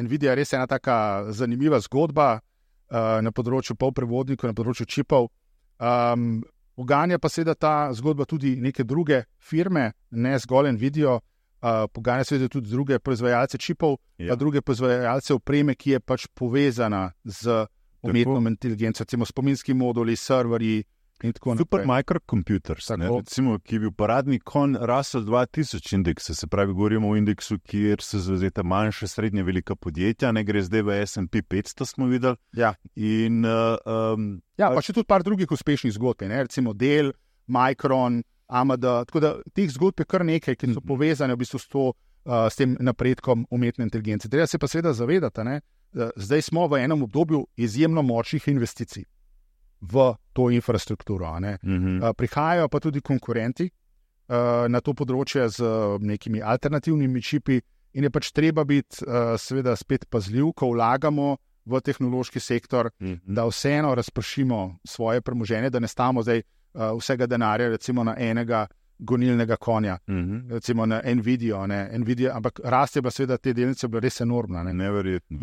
Nvidia je res ena taka zanimiva zgodba na področju polprevodnikov, na področju čipov. Poganja pa seveda ta zgodba tudi neke druge firme, ne zgolj Nvidia, poganja seveda tudi druge proizvajalce čipov, pa druge proizvajalce opreme, ki je pač povezana z umetno inteligenco, recimo spominski moduli, serverji in tako naprej. Super microcomputers, recimo, ki je bil paradni konj Russell 2000 indeksa, se pravi, govorimo o indeksu, kjer se zauzeta manjša, srednje velika podjetja, ne gre zdaj v S&P 500, smo videli. In, pa še tudi par drugih uspešnih zgodb, recimo Dell, Micron, AMD, tako da teh zgodb je kar nekaj, ki so povezane v bistvu s tem napredkom umetne inteligence. Treba se pa seveda zavedati, zdaj smo v enem obdobju izjemno močnih investicij v to infrastrukturo. Prihajajo pa tudi konkurenti na to področje z nekimi alternativnimi čipi in je pač treba biti seveda spet pazljiv, ko vlagamo v tehnološki sektor, da vseeno razpršimo svoje premoženje, da ne stavimo zdaj vsega denarja recimo na enega gonilnega konja, recimo na Nvidia, ampak rast je bila seveda te delnice bila res enormna. Neverjetno.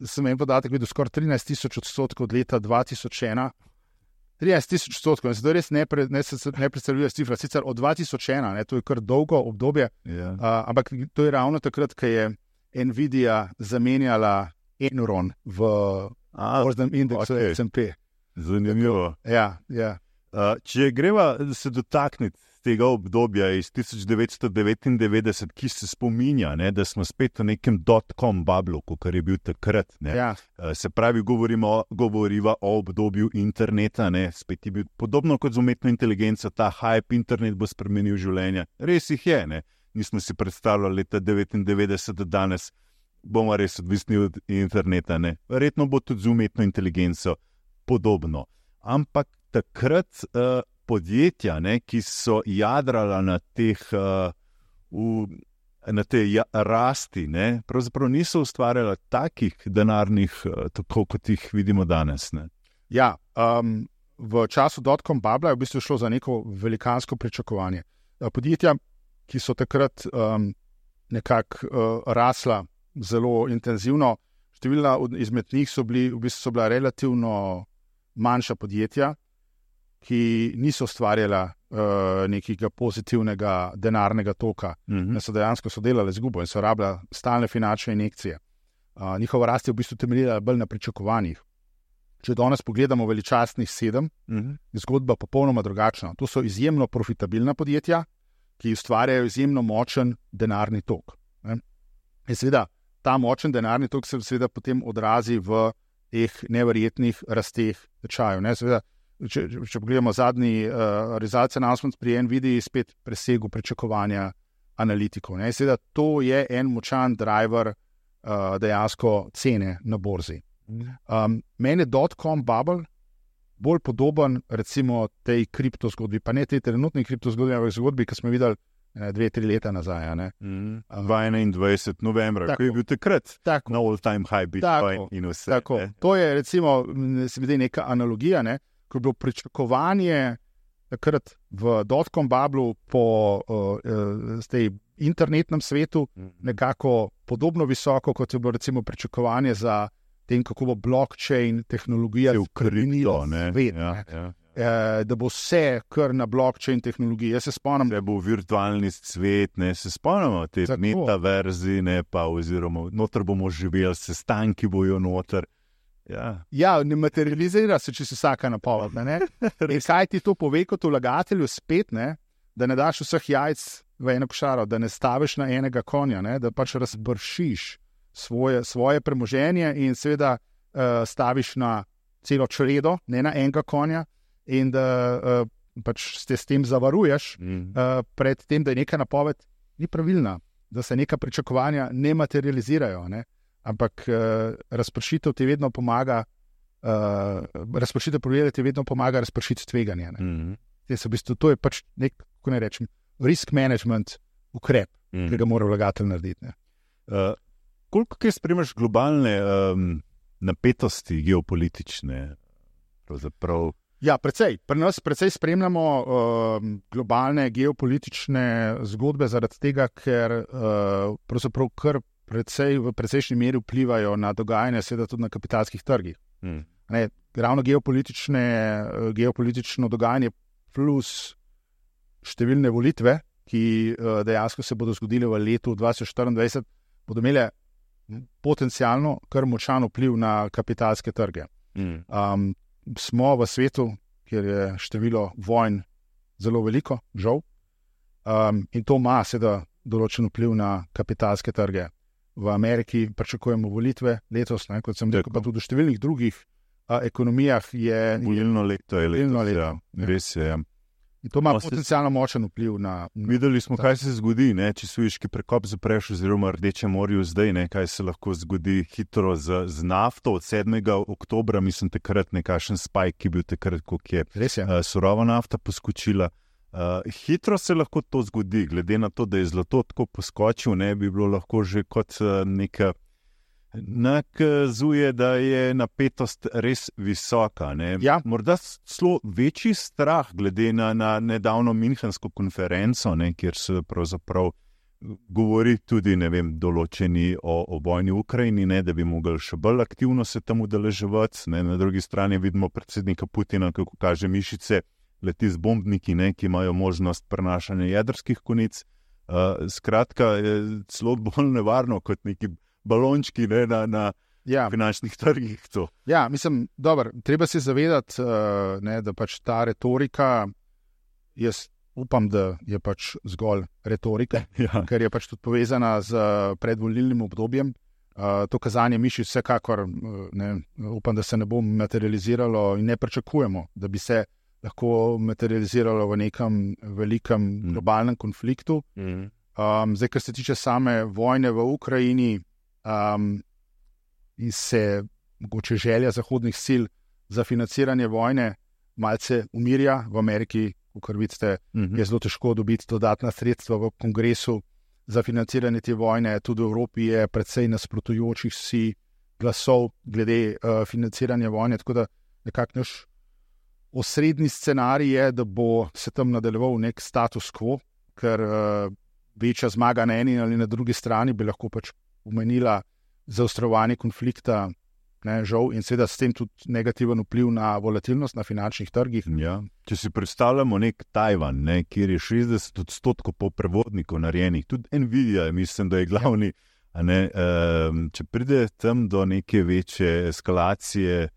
Sem en podatek videl, skoraj 13,000% od leta 2001, 13,000%, zato res ne predstavljajo cifra, sicer od 2001, to je kar dolgo obdobje, ampak to je ravno takrat, ko je Nvidia zamenjala Enron v borznem indeksu S&P. Zanimivo. Če greva se dotakniti tega obdobja iz 1999, ki se spominja, da smo spet v nekem dot-com bablu, kot je bil takrat. Se pravi, govoriva o obdobju interneta, spet je bil podobno kot z umetno inteligenco, ta hype, internet bo spremenil življenje. Res jih je, nismo si predstavljali leta 1999, da danes bomo res odvisni od interneta. Ne? Verjetno bo tudi z umetno inteligenco podobno. Ampak takrat podjetja, ne, ki so jadrala na teh na te rasti, ne, pravzaprav niso ustvarjala takih denarnih, tako kot jih vidimo danes. Ne. Ja, v času dotcom bubla je v bistvu šlo za neko velikansko pričakovanje. Podjetja, ki so takrat nekako rasla zelo intenzivno, številna izmed njih so bila relativno manjša podjetja, ki niso ustvarjala nekega pozitivnega denarnega toka. So dejansko delali izgubo in so rabila stalne finančne injekcije. Njihova rast je v bistvu temeljila bolj na pričakovanjih. Če danes pogledamo veličastnih 7, je zgodba popolnoma drugačna. To so izjemno profitabilna podjetja, ki ustvarjajo izjemno močen denarni tok. In seveda, ta močen denarni tok se seveda potem odrazi v teh neverjetnih rasteh tečajev. Seveda, če pogledamo zadnji results announcement pri NVIDII, spet presegel pričakovanja analitikov. Seveda, to je en močan driver dejansko cene na borzi. Meni je dotcom bubble bolj podoben recimo tej kriptozgodbi, pa ne tej trenutni kriptozgodbi, ampak zgodbi, ki smo videli 2-3 leta nazaj. 21. novembra, ko je bil takrat na all-time high Bitcoin in vse. Tako. To je recimo, se mi zdi neka analogija, ko je bilo pričakovanje takrat v dotcom bublu po tej internetnem svetu nekako podobno visoko, kot je bilo recimo pričakovanje za tem, kako bo blockchain tehnologija vkrenila svet. Da bo vse kar na blockchain tehnologiji. Jaz se spomnim, da bo virtualni svet, se spomnimo te metaverzi, pa oziroma noter bomo živeli, sestanki bojo noter. Ja, ne materializira se, če si vsaka napoved. In kaj ti to pove kot vlagatelju spet, da ne daš vseh jajc v eno košaro, da ne staviš na enega konja, da pač razbršiš svoje premoženje in seveda staviš na celo čredo, ne na enega konja, in da pač se s tem zavaruješ pred tem, da je neka napoved ni pravilna, da se neka pričakovanja ne materializirajo, ampak razpršitev ti vedno pomaga, razpršitev projekta ti vedno pomaga razpršiti tveganje. To je pač nek, kako ne rečem, risk management ukrep, ki ga mora vlagatelj narediti. Koliko kaj spremljaš globalne napetosti geopolitične? Pravzaprav? Ja, precej. Pri nas precej spremljamo globalne geopolitične zgodbe zaradi tega, ker pravzaprav kar v precejšnji meri vplivajo na dogajanje, seveda tudi na kapitalskih trgih. Ravno geopolitično dogajanje plus številne volitve, ki dejansko se bodo zgodile v letu 2024, bodo imele potencialno kar močan vpliv na kapitalske trge. Smo v svetu, kjer je število vojn zelo veliko, žal, in to ima seveda določen vpliv na kapitalske trge. V Ameriki pričakujemo volitve letos, kot sem rekel, pa tudi v številnih drugih ekonomijah je volilno leto. Ja, res je. In to ima potencialno močen vpliv na... Videli smo, kaj se zgodi, če Sueški prekop zapreš oziroma Rdeče morju zdaj, kaj se lahko zgodi hitro z nafto od 7. oktobra, mislim takrat nekakšen spike, ki je bil takrat, koliko je surova nafta poskočila. Hitro se lahko to zgodi, glede na to, da je zlato tako poskočil, bi bilo lahko že kot neka nakazuje, da je napetost res visoka. Ja. Morda celo večji strah glede na nedavno Münchensko konferenco, kjer se pravzaprav govori tudi, določeni o vojni v Ukrajini, da bi mogli še bolj aktivno se tam udeleževati. Na drugi strani vidimo predsednika Putina, kako kaže mišice, leti z bombniki, ki imajo možnost prenašanja jedrskih konic. Skratka, je celo bolj nevarno kot neki balončki na finančnih trgih. To. Ja, mislim, treba se zavedati, da pač ta retorika, jaz upam, da je pač zgolj retorika, ker je pač tudi povezana z predvolilnim obdobjem. To kazanje mišic vsekakor, upam, da se ne bo materializiralo in ne pričakujemo, da bi se lahko materializiralo v nekem velikem globalnem konfliktu. Zdaj, kar se tiče same vojne v Ukrajini, in se mogoče želja zahodnih sil za financiranje vojne malce umirja. V Ameriki, kot vidite, je zelo težko dobiti dodatna sredstva v kongresu za financiranje te vojne. Tudi v Evropi je precej nasprotujočih si glasov glede financiranja vojne, tako da nekako naš osrednji scenarij je, da bo se tam nadaljeval nek status quo, ker večja zmaga na eni ali na drugi strani bi lahko pač pomenila zaostrovanje konflikta, žal, in seveda s tem tudi negativen vpliv na volatilnost na finančnih trgih. Ja. Če si predstavljamo nek Tajvan, kjer je 60% po prevodnikov narejenih, tudi Nvidia, mislim, da je glavni, če pride tam do neke večje eskalacije,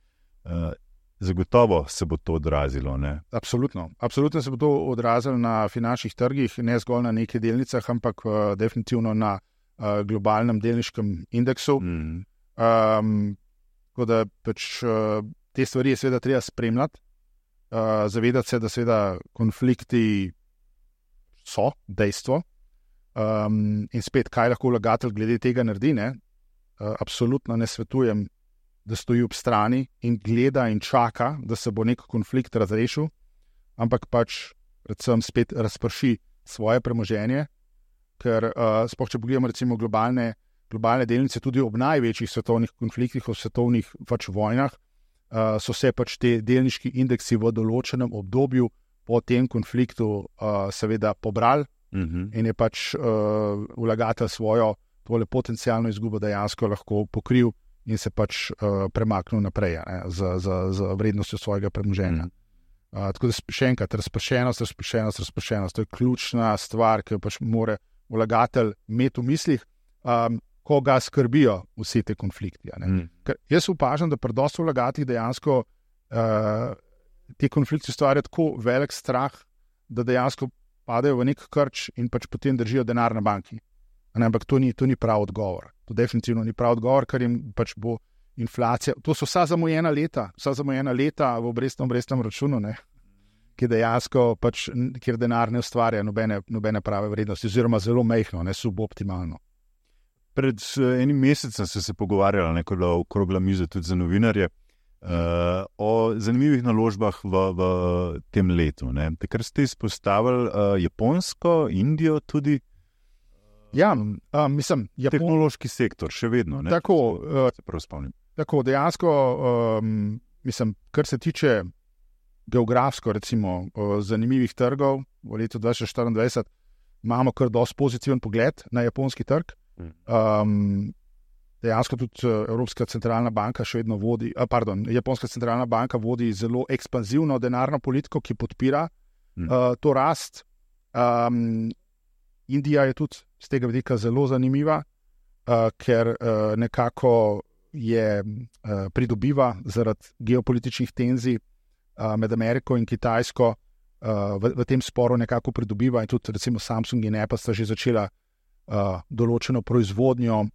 zagotovo se bo to odrazilo. Absolutno se bo to odrazilo na finančnih trgih, ne zgolj na nekaj delnicah, ampak definitivno na globalnem delniškem indeksu. Tako da pač te stvari je seveda treba spremljati, zavedati se, da seveda konflikti so dejstvo, in spet, kaj lahko vlagatelj glede tega naredi, absolutno ne svetujem, da stoji ob strani in gleda in čaka, da se bo nek konflikt razrešil, ampak pač predvsem spet razprši svoje premoženje, ker sploh če pogledamo recimo globalne delnice, tudi ob največjih svetovnih konfliktih, v svetovnih pač vojnah, so se pač te delniški indeksi v določenem obdobju po tem konfliktu seveda pobrali in je pač vlagatelj svojo tole potencialno izgubo dejansko lahko pokril in se pač premaknil naprej z vrednostjo svojega premoženja. Tako da še enkrat, razpršenost, to je ključna stvar, ki jo pač mora vlagatelj imeti v mislih, ko ga skrbijo vsi te konflikti. Ker jaz opažam, da pri dosti vlagateljih dejansko te konflikti ustvarjajo tako velik strah, da dejansko padajo v nek krč in pač potem držijo denar na banki. Ampak to ni prav odgovor. To definitivno ni prav odgovor, ker jim pač bo inflacija. To so vsa zamujena leta v obrestnem računu, ki dejansko pač, kjer denar ne ustvarja nobene prave vrednosti, oziroma zelo majhno, suboptimalno. Pred enim mesecem so se pogovarjali, ko je bila okrogla miza tudi za novinarje, o zanimivih naložbah v tem letu. Takrat ste izpostavili Japonsko, Indijo tudi. Ja, mislim, tehnološki sektor, še vedno. Tako, dejansko, mislim, kar se tiče geografsko, recimo, zanimivih trgov v letu 2024, imamo kar dosti pozitiven pogled na japonski trg. Dejansko tudi Evropska centralna banka še vedno vodi, Japonska centralna banka vodi zelo ekspanzivno denarno politiko, ki podpira to rast. Indija je tudi z tega vidika zelo zanimiva, ker nekako pridobiva zaradi geopolitičnih tenzij med Ameriko in Kitajsko, v tem sporu nekako pridobiva, in tudi recimo Samsung in Apple sta že začela določeno proizvodnjo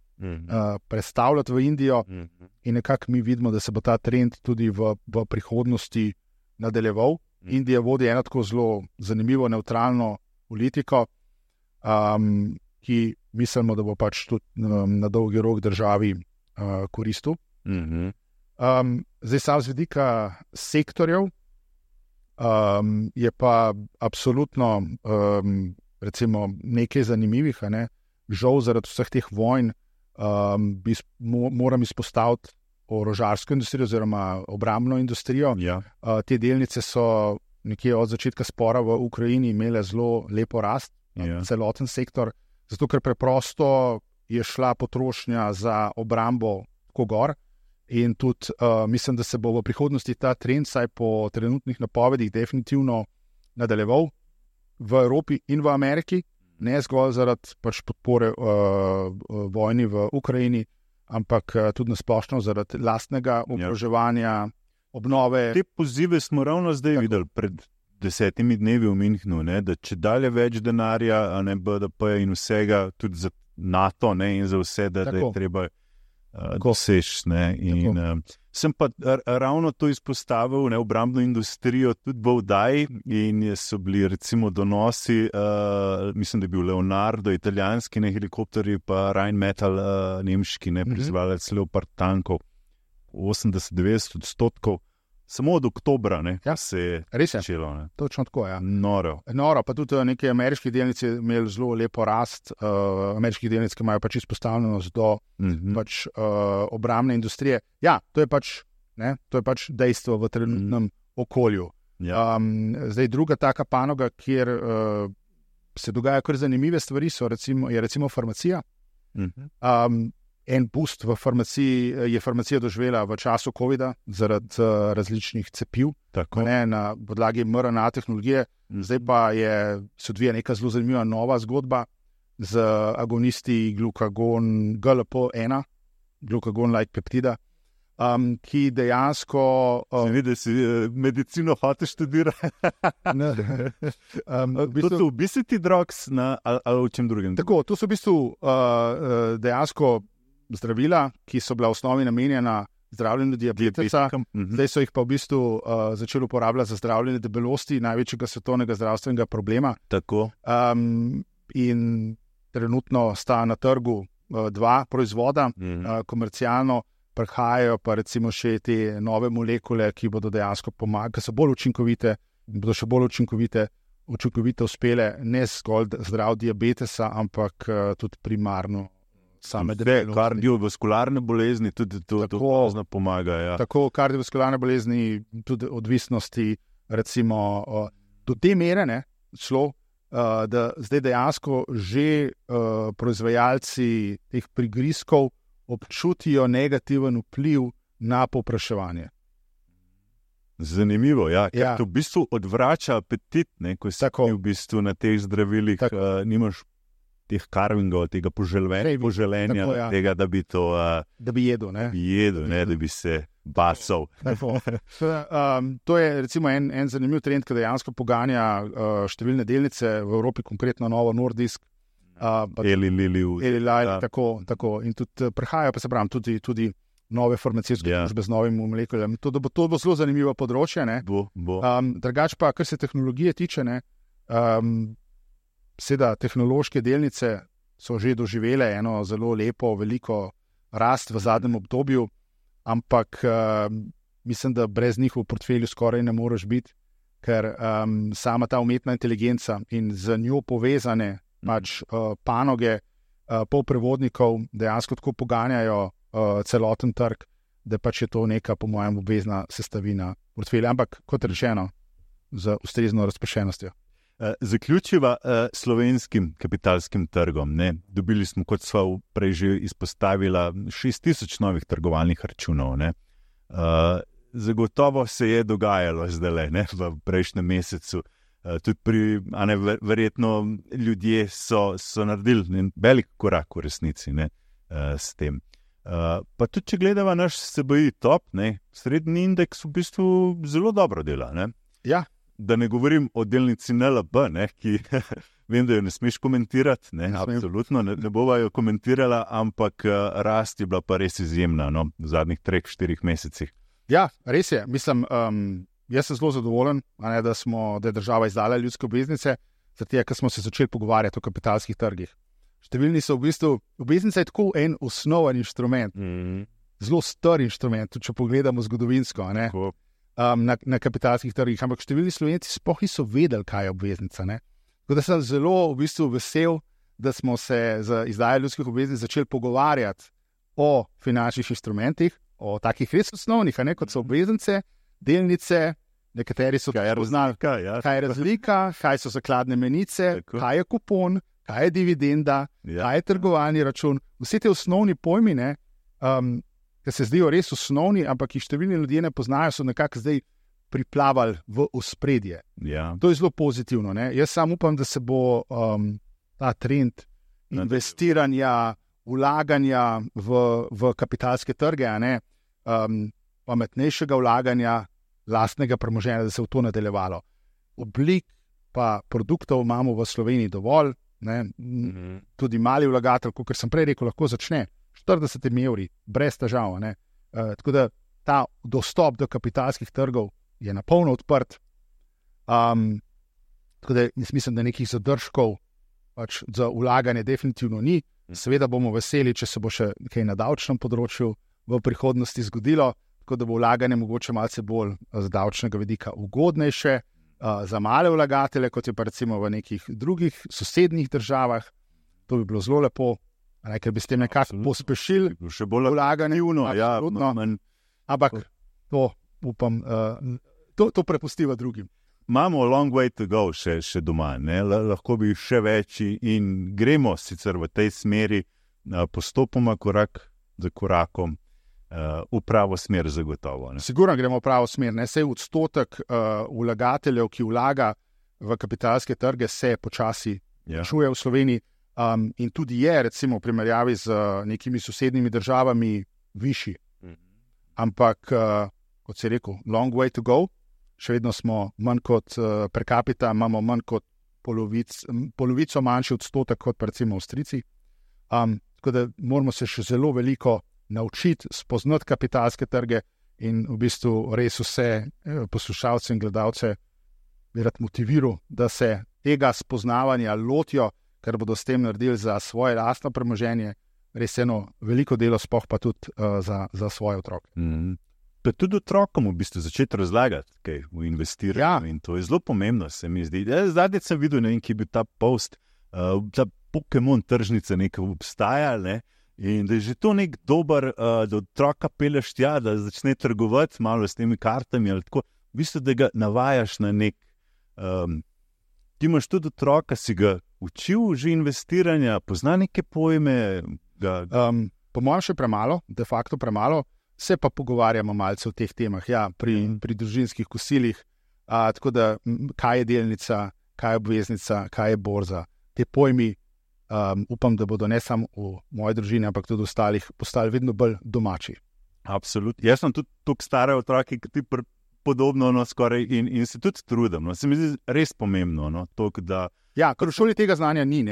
prestavljati v Indijo, in nekako mi vidimo, da se bo ta trend tudi v prihodnosti nadaljeval. Indija vodi eno tako zelo zanimivo nevtralno politiko, ki mislimo, da bo pač tudi na dolgi rok državi koristil. Zdaj sam z vidika sektorjev je pa absolutno recimo nekaj zanimivih, žal zaradi vseh teh vojn moram izpostaviti orožarsko industrijo oziroma obrambno industrijo. Ja. Te delnice so nekje od začetka spora v Ukrajini imele zelo lepo rast, celoten sektor, zato ker preprosto je šla potrošnja za obrambo tako gor, in tudi mislim, da se bo v prihodnosti ta trend, saj po trenutnih napovedih, definitivno nadaljeval v Evropi in v Ameriki, ne zgolj zaradi pač podpore vojni v Ukrajini, ampak tudi nasplošno zaradi lastnega oboroževanja, obnove. Te pozive smo ravno zdaj videli pred 10 dnevi v Münchnu, da če dalje več denarja, BDP in vsega, tudi za NATO in za vse, da je treba dosež. Sem pa ravno to izpostavil, obrambno industrijo tudi v oddaji in so bili recimo donosi, mislim, da je bil Leonardo, italijanski helikopterji, pa Rheinmetall, nemški, proizvajalec Leopard tankov, 80-90%, samo od oktobra se je začelo. Točno tako, ja. Noro. Pa tudi neke ameriške delnice imeli zelo lepo rast, ameriških delnic, ki imajo pač izpostavljenost do pač, obrambne industrije. Ja, to je pač dejstvo v trenutnem okolju. Ja. Zdaj, druga taka panoga, kjer se dogajajo kar zanimive stvari, je recimo farmacija. En boost v farmaciji je farmacija doživela v času COVID-a zaradi različnih cepiv, na podlagi mRNA tehnologije. Zdaj pa se odvija neka zelo zanimiva nova zgodba z agonisti glukagon GLP-1, glukagon-like peptida, ki dejansko... Vidi, si medicino hočeš študirati. To so obesity drugs ali v čem drugem? Tako, to so v bistvu dejansko zdravila, ki so bila v osnovi namenjena zdravljenju diabetesa, zdaj so jih pa v bistvu začeli uporabljati za zdravljenje debelosti, največjega svetovnega zdravstvenega problema. Tako. In trenutno sta na trgu dva proizvoda, komercialno prihajajo pa recimo še te nove molekule, ki bodo dejansko pomagali, ki so bolj učinkovite, bodo še bolj učinkovito uspele ne zgolj zdrav diabetesa, ampak tudi primarno same debelosti. Kardiovaskularne bolezni tudi to pomaga. Ja. Tako kardiovaskularne bolezni, tudi odvisnosti, recimo do te mere da zdaj dejansko že proizvajalci teh prigrizkov občutijo negativen vpliv na povpraševanje. Zanimivo, ja. Ker to v bistvu odvrača apetit, ko si v bistvu na teh zdravilih, nimaš teh karvingov, tega poželenja, tega, da bi to da bi jedel, da bi se basal. To je recimo en zanimiv trend, ki dejansko poganja številne delnice v Evropi, konkretno Novo Nordisk, Eli Lilly, tako. In tudi prihajajo, pa se pravim, tudi nove farmacijske družbe z novimi molekulami. To bo zelo zanimivo področje. Drugače pa, kar se tehnologije tiče, seveda tehnološke delnice so že doživele eno zelo lepo, veliko rast v zadnjem obdobju, ampak mislim, da brez njih v portfelju skoraj ne moreš biti, ker sama ta umetna inteligenca in z njo povezane panoge polprevodnikov dejansko tako poganjajo celoten trg, da pač je to neka, po mojem, obvezna sestavina portfelja, ampak kot rečeno, z ustrezno razpršenostjo. Zaključiva slovenskim kapitalskim trgom. Dobili smo, kot sva prej že izpostavila, 6000 novih trgovalnih računov. Zagotovo se je dogajalo zdaj v prejšnjem mesecu. Tudi verjetno ljudje so naredili velik korak v resnici s tem. Pa tudi, če gledava naš SBI top, srednji indeks v bistvu zelo dobro dela. Ja. Da ne govorim o delnici NLB, ki vem, da jo ne smeš komentirati, absolutno ne bova jo komentirala, ampak rast je bila pa res izjemna v zadnjih 3-4 mesecih. Ja, res je. Mislim, jaz sem zelo zadovoljen, da je država izdala ljudske obveznice, zato ker smo se začeli pogovarjati o kapitalskih trgih. Številni so v bistvu, obveznica je tako en osnoven inštrument, zelo star inštrument, tudi če pogledamo zgodovinsko, na kapitalskih trgih, ampak številni Slovenci sploh niso vedeli, kaj je obveznica. Tako da sem zelo v bistvu vesel, da smo se z izdajo ljudskih obveznic začeli pogovarjati o finančnih inštrumentih, o takih res osnovnih, kot so obveznice, delnice, nekateri so poznali, kaj je razlika, kaj so zakladne menice, kaj je kupon, kaj je dividenda, kaj je trgovalni račun. Vsi te osnovni pojmi, ki se zdijo res osnovni, ampak jih številni ljudje ne poznajo, so nekako zdaj priplavali v ospredje. Ja. To je zelo pozitivno. Jaz sam upam, da se bo ta trend investiranja, vlaganja v kapitalske trge, pametnejšega vlaganja, lastnega premoženja, da se v to nadaljevalo. Oblik pa produktov imamo v Sloveniji dovolj, tudi mali vlagatelj, kot sem prej rekel, lahko začne 40 evri, brez težav. Tako da ta dostop do kapitalskih trgov je napolno odprt. Tako da jaz mislim, da nekih zadržkov pač za vlaganje definitivno ni. Seveda bomo veseli, če se bo še kaj na davčnem področju v prihodnosti zgodilo, tako da bo vlaganje mogoče malce bolj z davčnega vidika ugodnejše za male vlagatelje, kot je pa recimo v nekih drugih sosednjih državah. To bi bilo zelo lepo, ker bi s tem nekako pospešili še bolj vlaganje. Ja, ampak to upam, to prepustiva drugim. Imamo long way to go še doma, lahko bi še več in gremo sicer v tej smeri postopoma, korak za korakom, v pravo smer zagotovo. Sigurno gremo v pravo smer. Sej odstotek vlagateljev, ki vlaga v kapitalske trge, se počasi čuje v Sloveniji in tudi je recimo v primerjavi z nekimi sosednjimi državami višji. Ampak, kot si rekel, long way to go. Še vedno smo manj kot per capita, imamo manj kot polovico manjši odstotek kot recimo Avstrijci. Tako da moramo se še zelo veliko naučiti, spoznati kapitalske trge in v bistvu res vse poslušalce in gledalce bi rad motiviral, da se tega spoznavanja lotijo, ker bodo s tem naredili za svoje lastno premoženje res eno veliko delo, sploh pa tudi za svoje otroke. Pa tudi otrokom v bistvu začeti razlagati, kaj v investiranju. In to je zelo pomembno, se mi zdi. Zadnji sem videl, ki je bil ta post, ta Pokémon tržnica nekaj obstaja, in da je že to nek dober, da otroka peleš tja, da začne trgovati malo s temi kartami ali tako. V bistvu, da ga navajaš na nek... Ti imaš tudi otroka, si ga učil že investiranja, pozna neke pojme? Po mojem še premalo, de facto premalo. Se pa pogovarjamo malce o teh temah, pri družinskih kosilih, tako da kaj je delnica, kaj je obveznica, kaj je borza. Te pojmi upam, da bodo ne samo v moji družini, ampak tudi ostalih postali vedno bolj domači. Absolutno. Jaz sem tudi toliko stare otroke, ki ti podobno skoraj in se tudi trudim. Se mi zdi res pomembno. Ker v šoli tega znanja ni,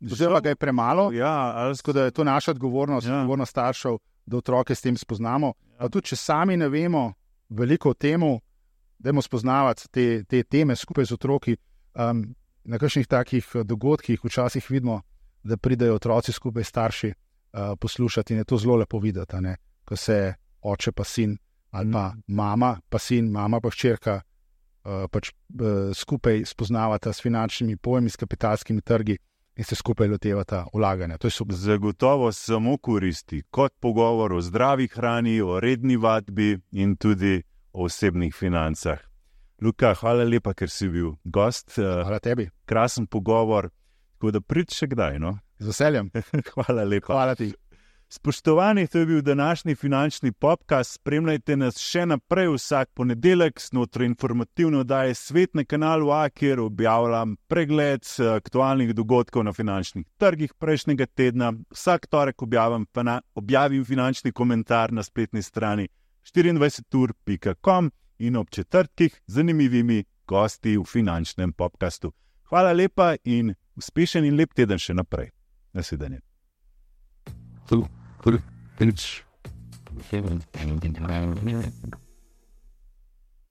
oziroma ga je premalo, tako da je to naša odgovornost, odgovornost staršev, da otroke s tem spoznamo. Tudi če sami ne vemo veliko o temu, dajmo spoznavati te teme skupaj z otroki. Na kakšnih takih dogodkih včasih vidimo, da pridejo otroci skupaj starši poslušati in je to zelo lepo videti, ko se oče pa sin ali pa mama pa sin, mama pa hčerka skupaj spoznavata s finančnimi pojmi, s kapitalskimi trgi in se skupaj lotevata vlaganja. To je super. Zagotovo samo koristi, kot pogovor o zdravi hrani, o redni vadbi in tudi o osebnih financah. Luka, hvala lepa, ker si bil gost. Hvala tebi. Krasen pogovor, tako da pridi še kdaj. Z veseljem. Hvala lepa. Hvala ti. Spoštovani, to je bil današnji finančni podcast. Spremljajte nas še naprej vsak ponedeljek znotraj informativne oddaje Svet na kanalu A, kjer objavljam pregled aktualnih dogodkov na finančnih trgih prejšnjega tedna. Vsak torek objavim finančni komentar na spletni strani 24ur.com in ob četrtkih z zanimivimi gosti v finančnem podcastu. Hvala lepa in uspešen in lep teden še naprej. Nasvidenje. It's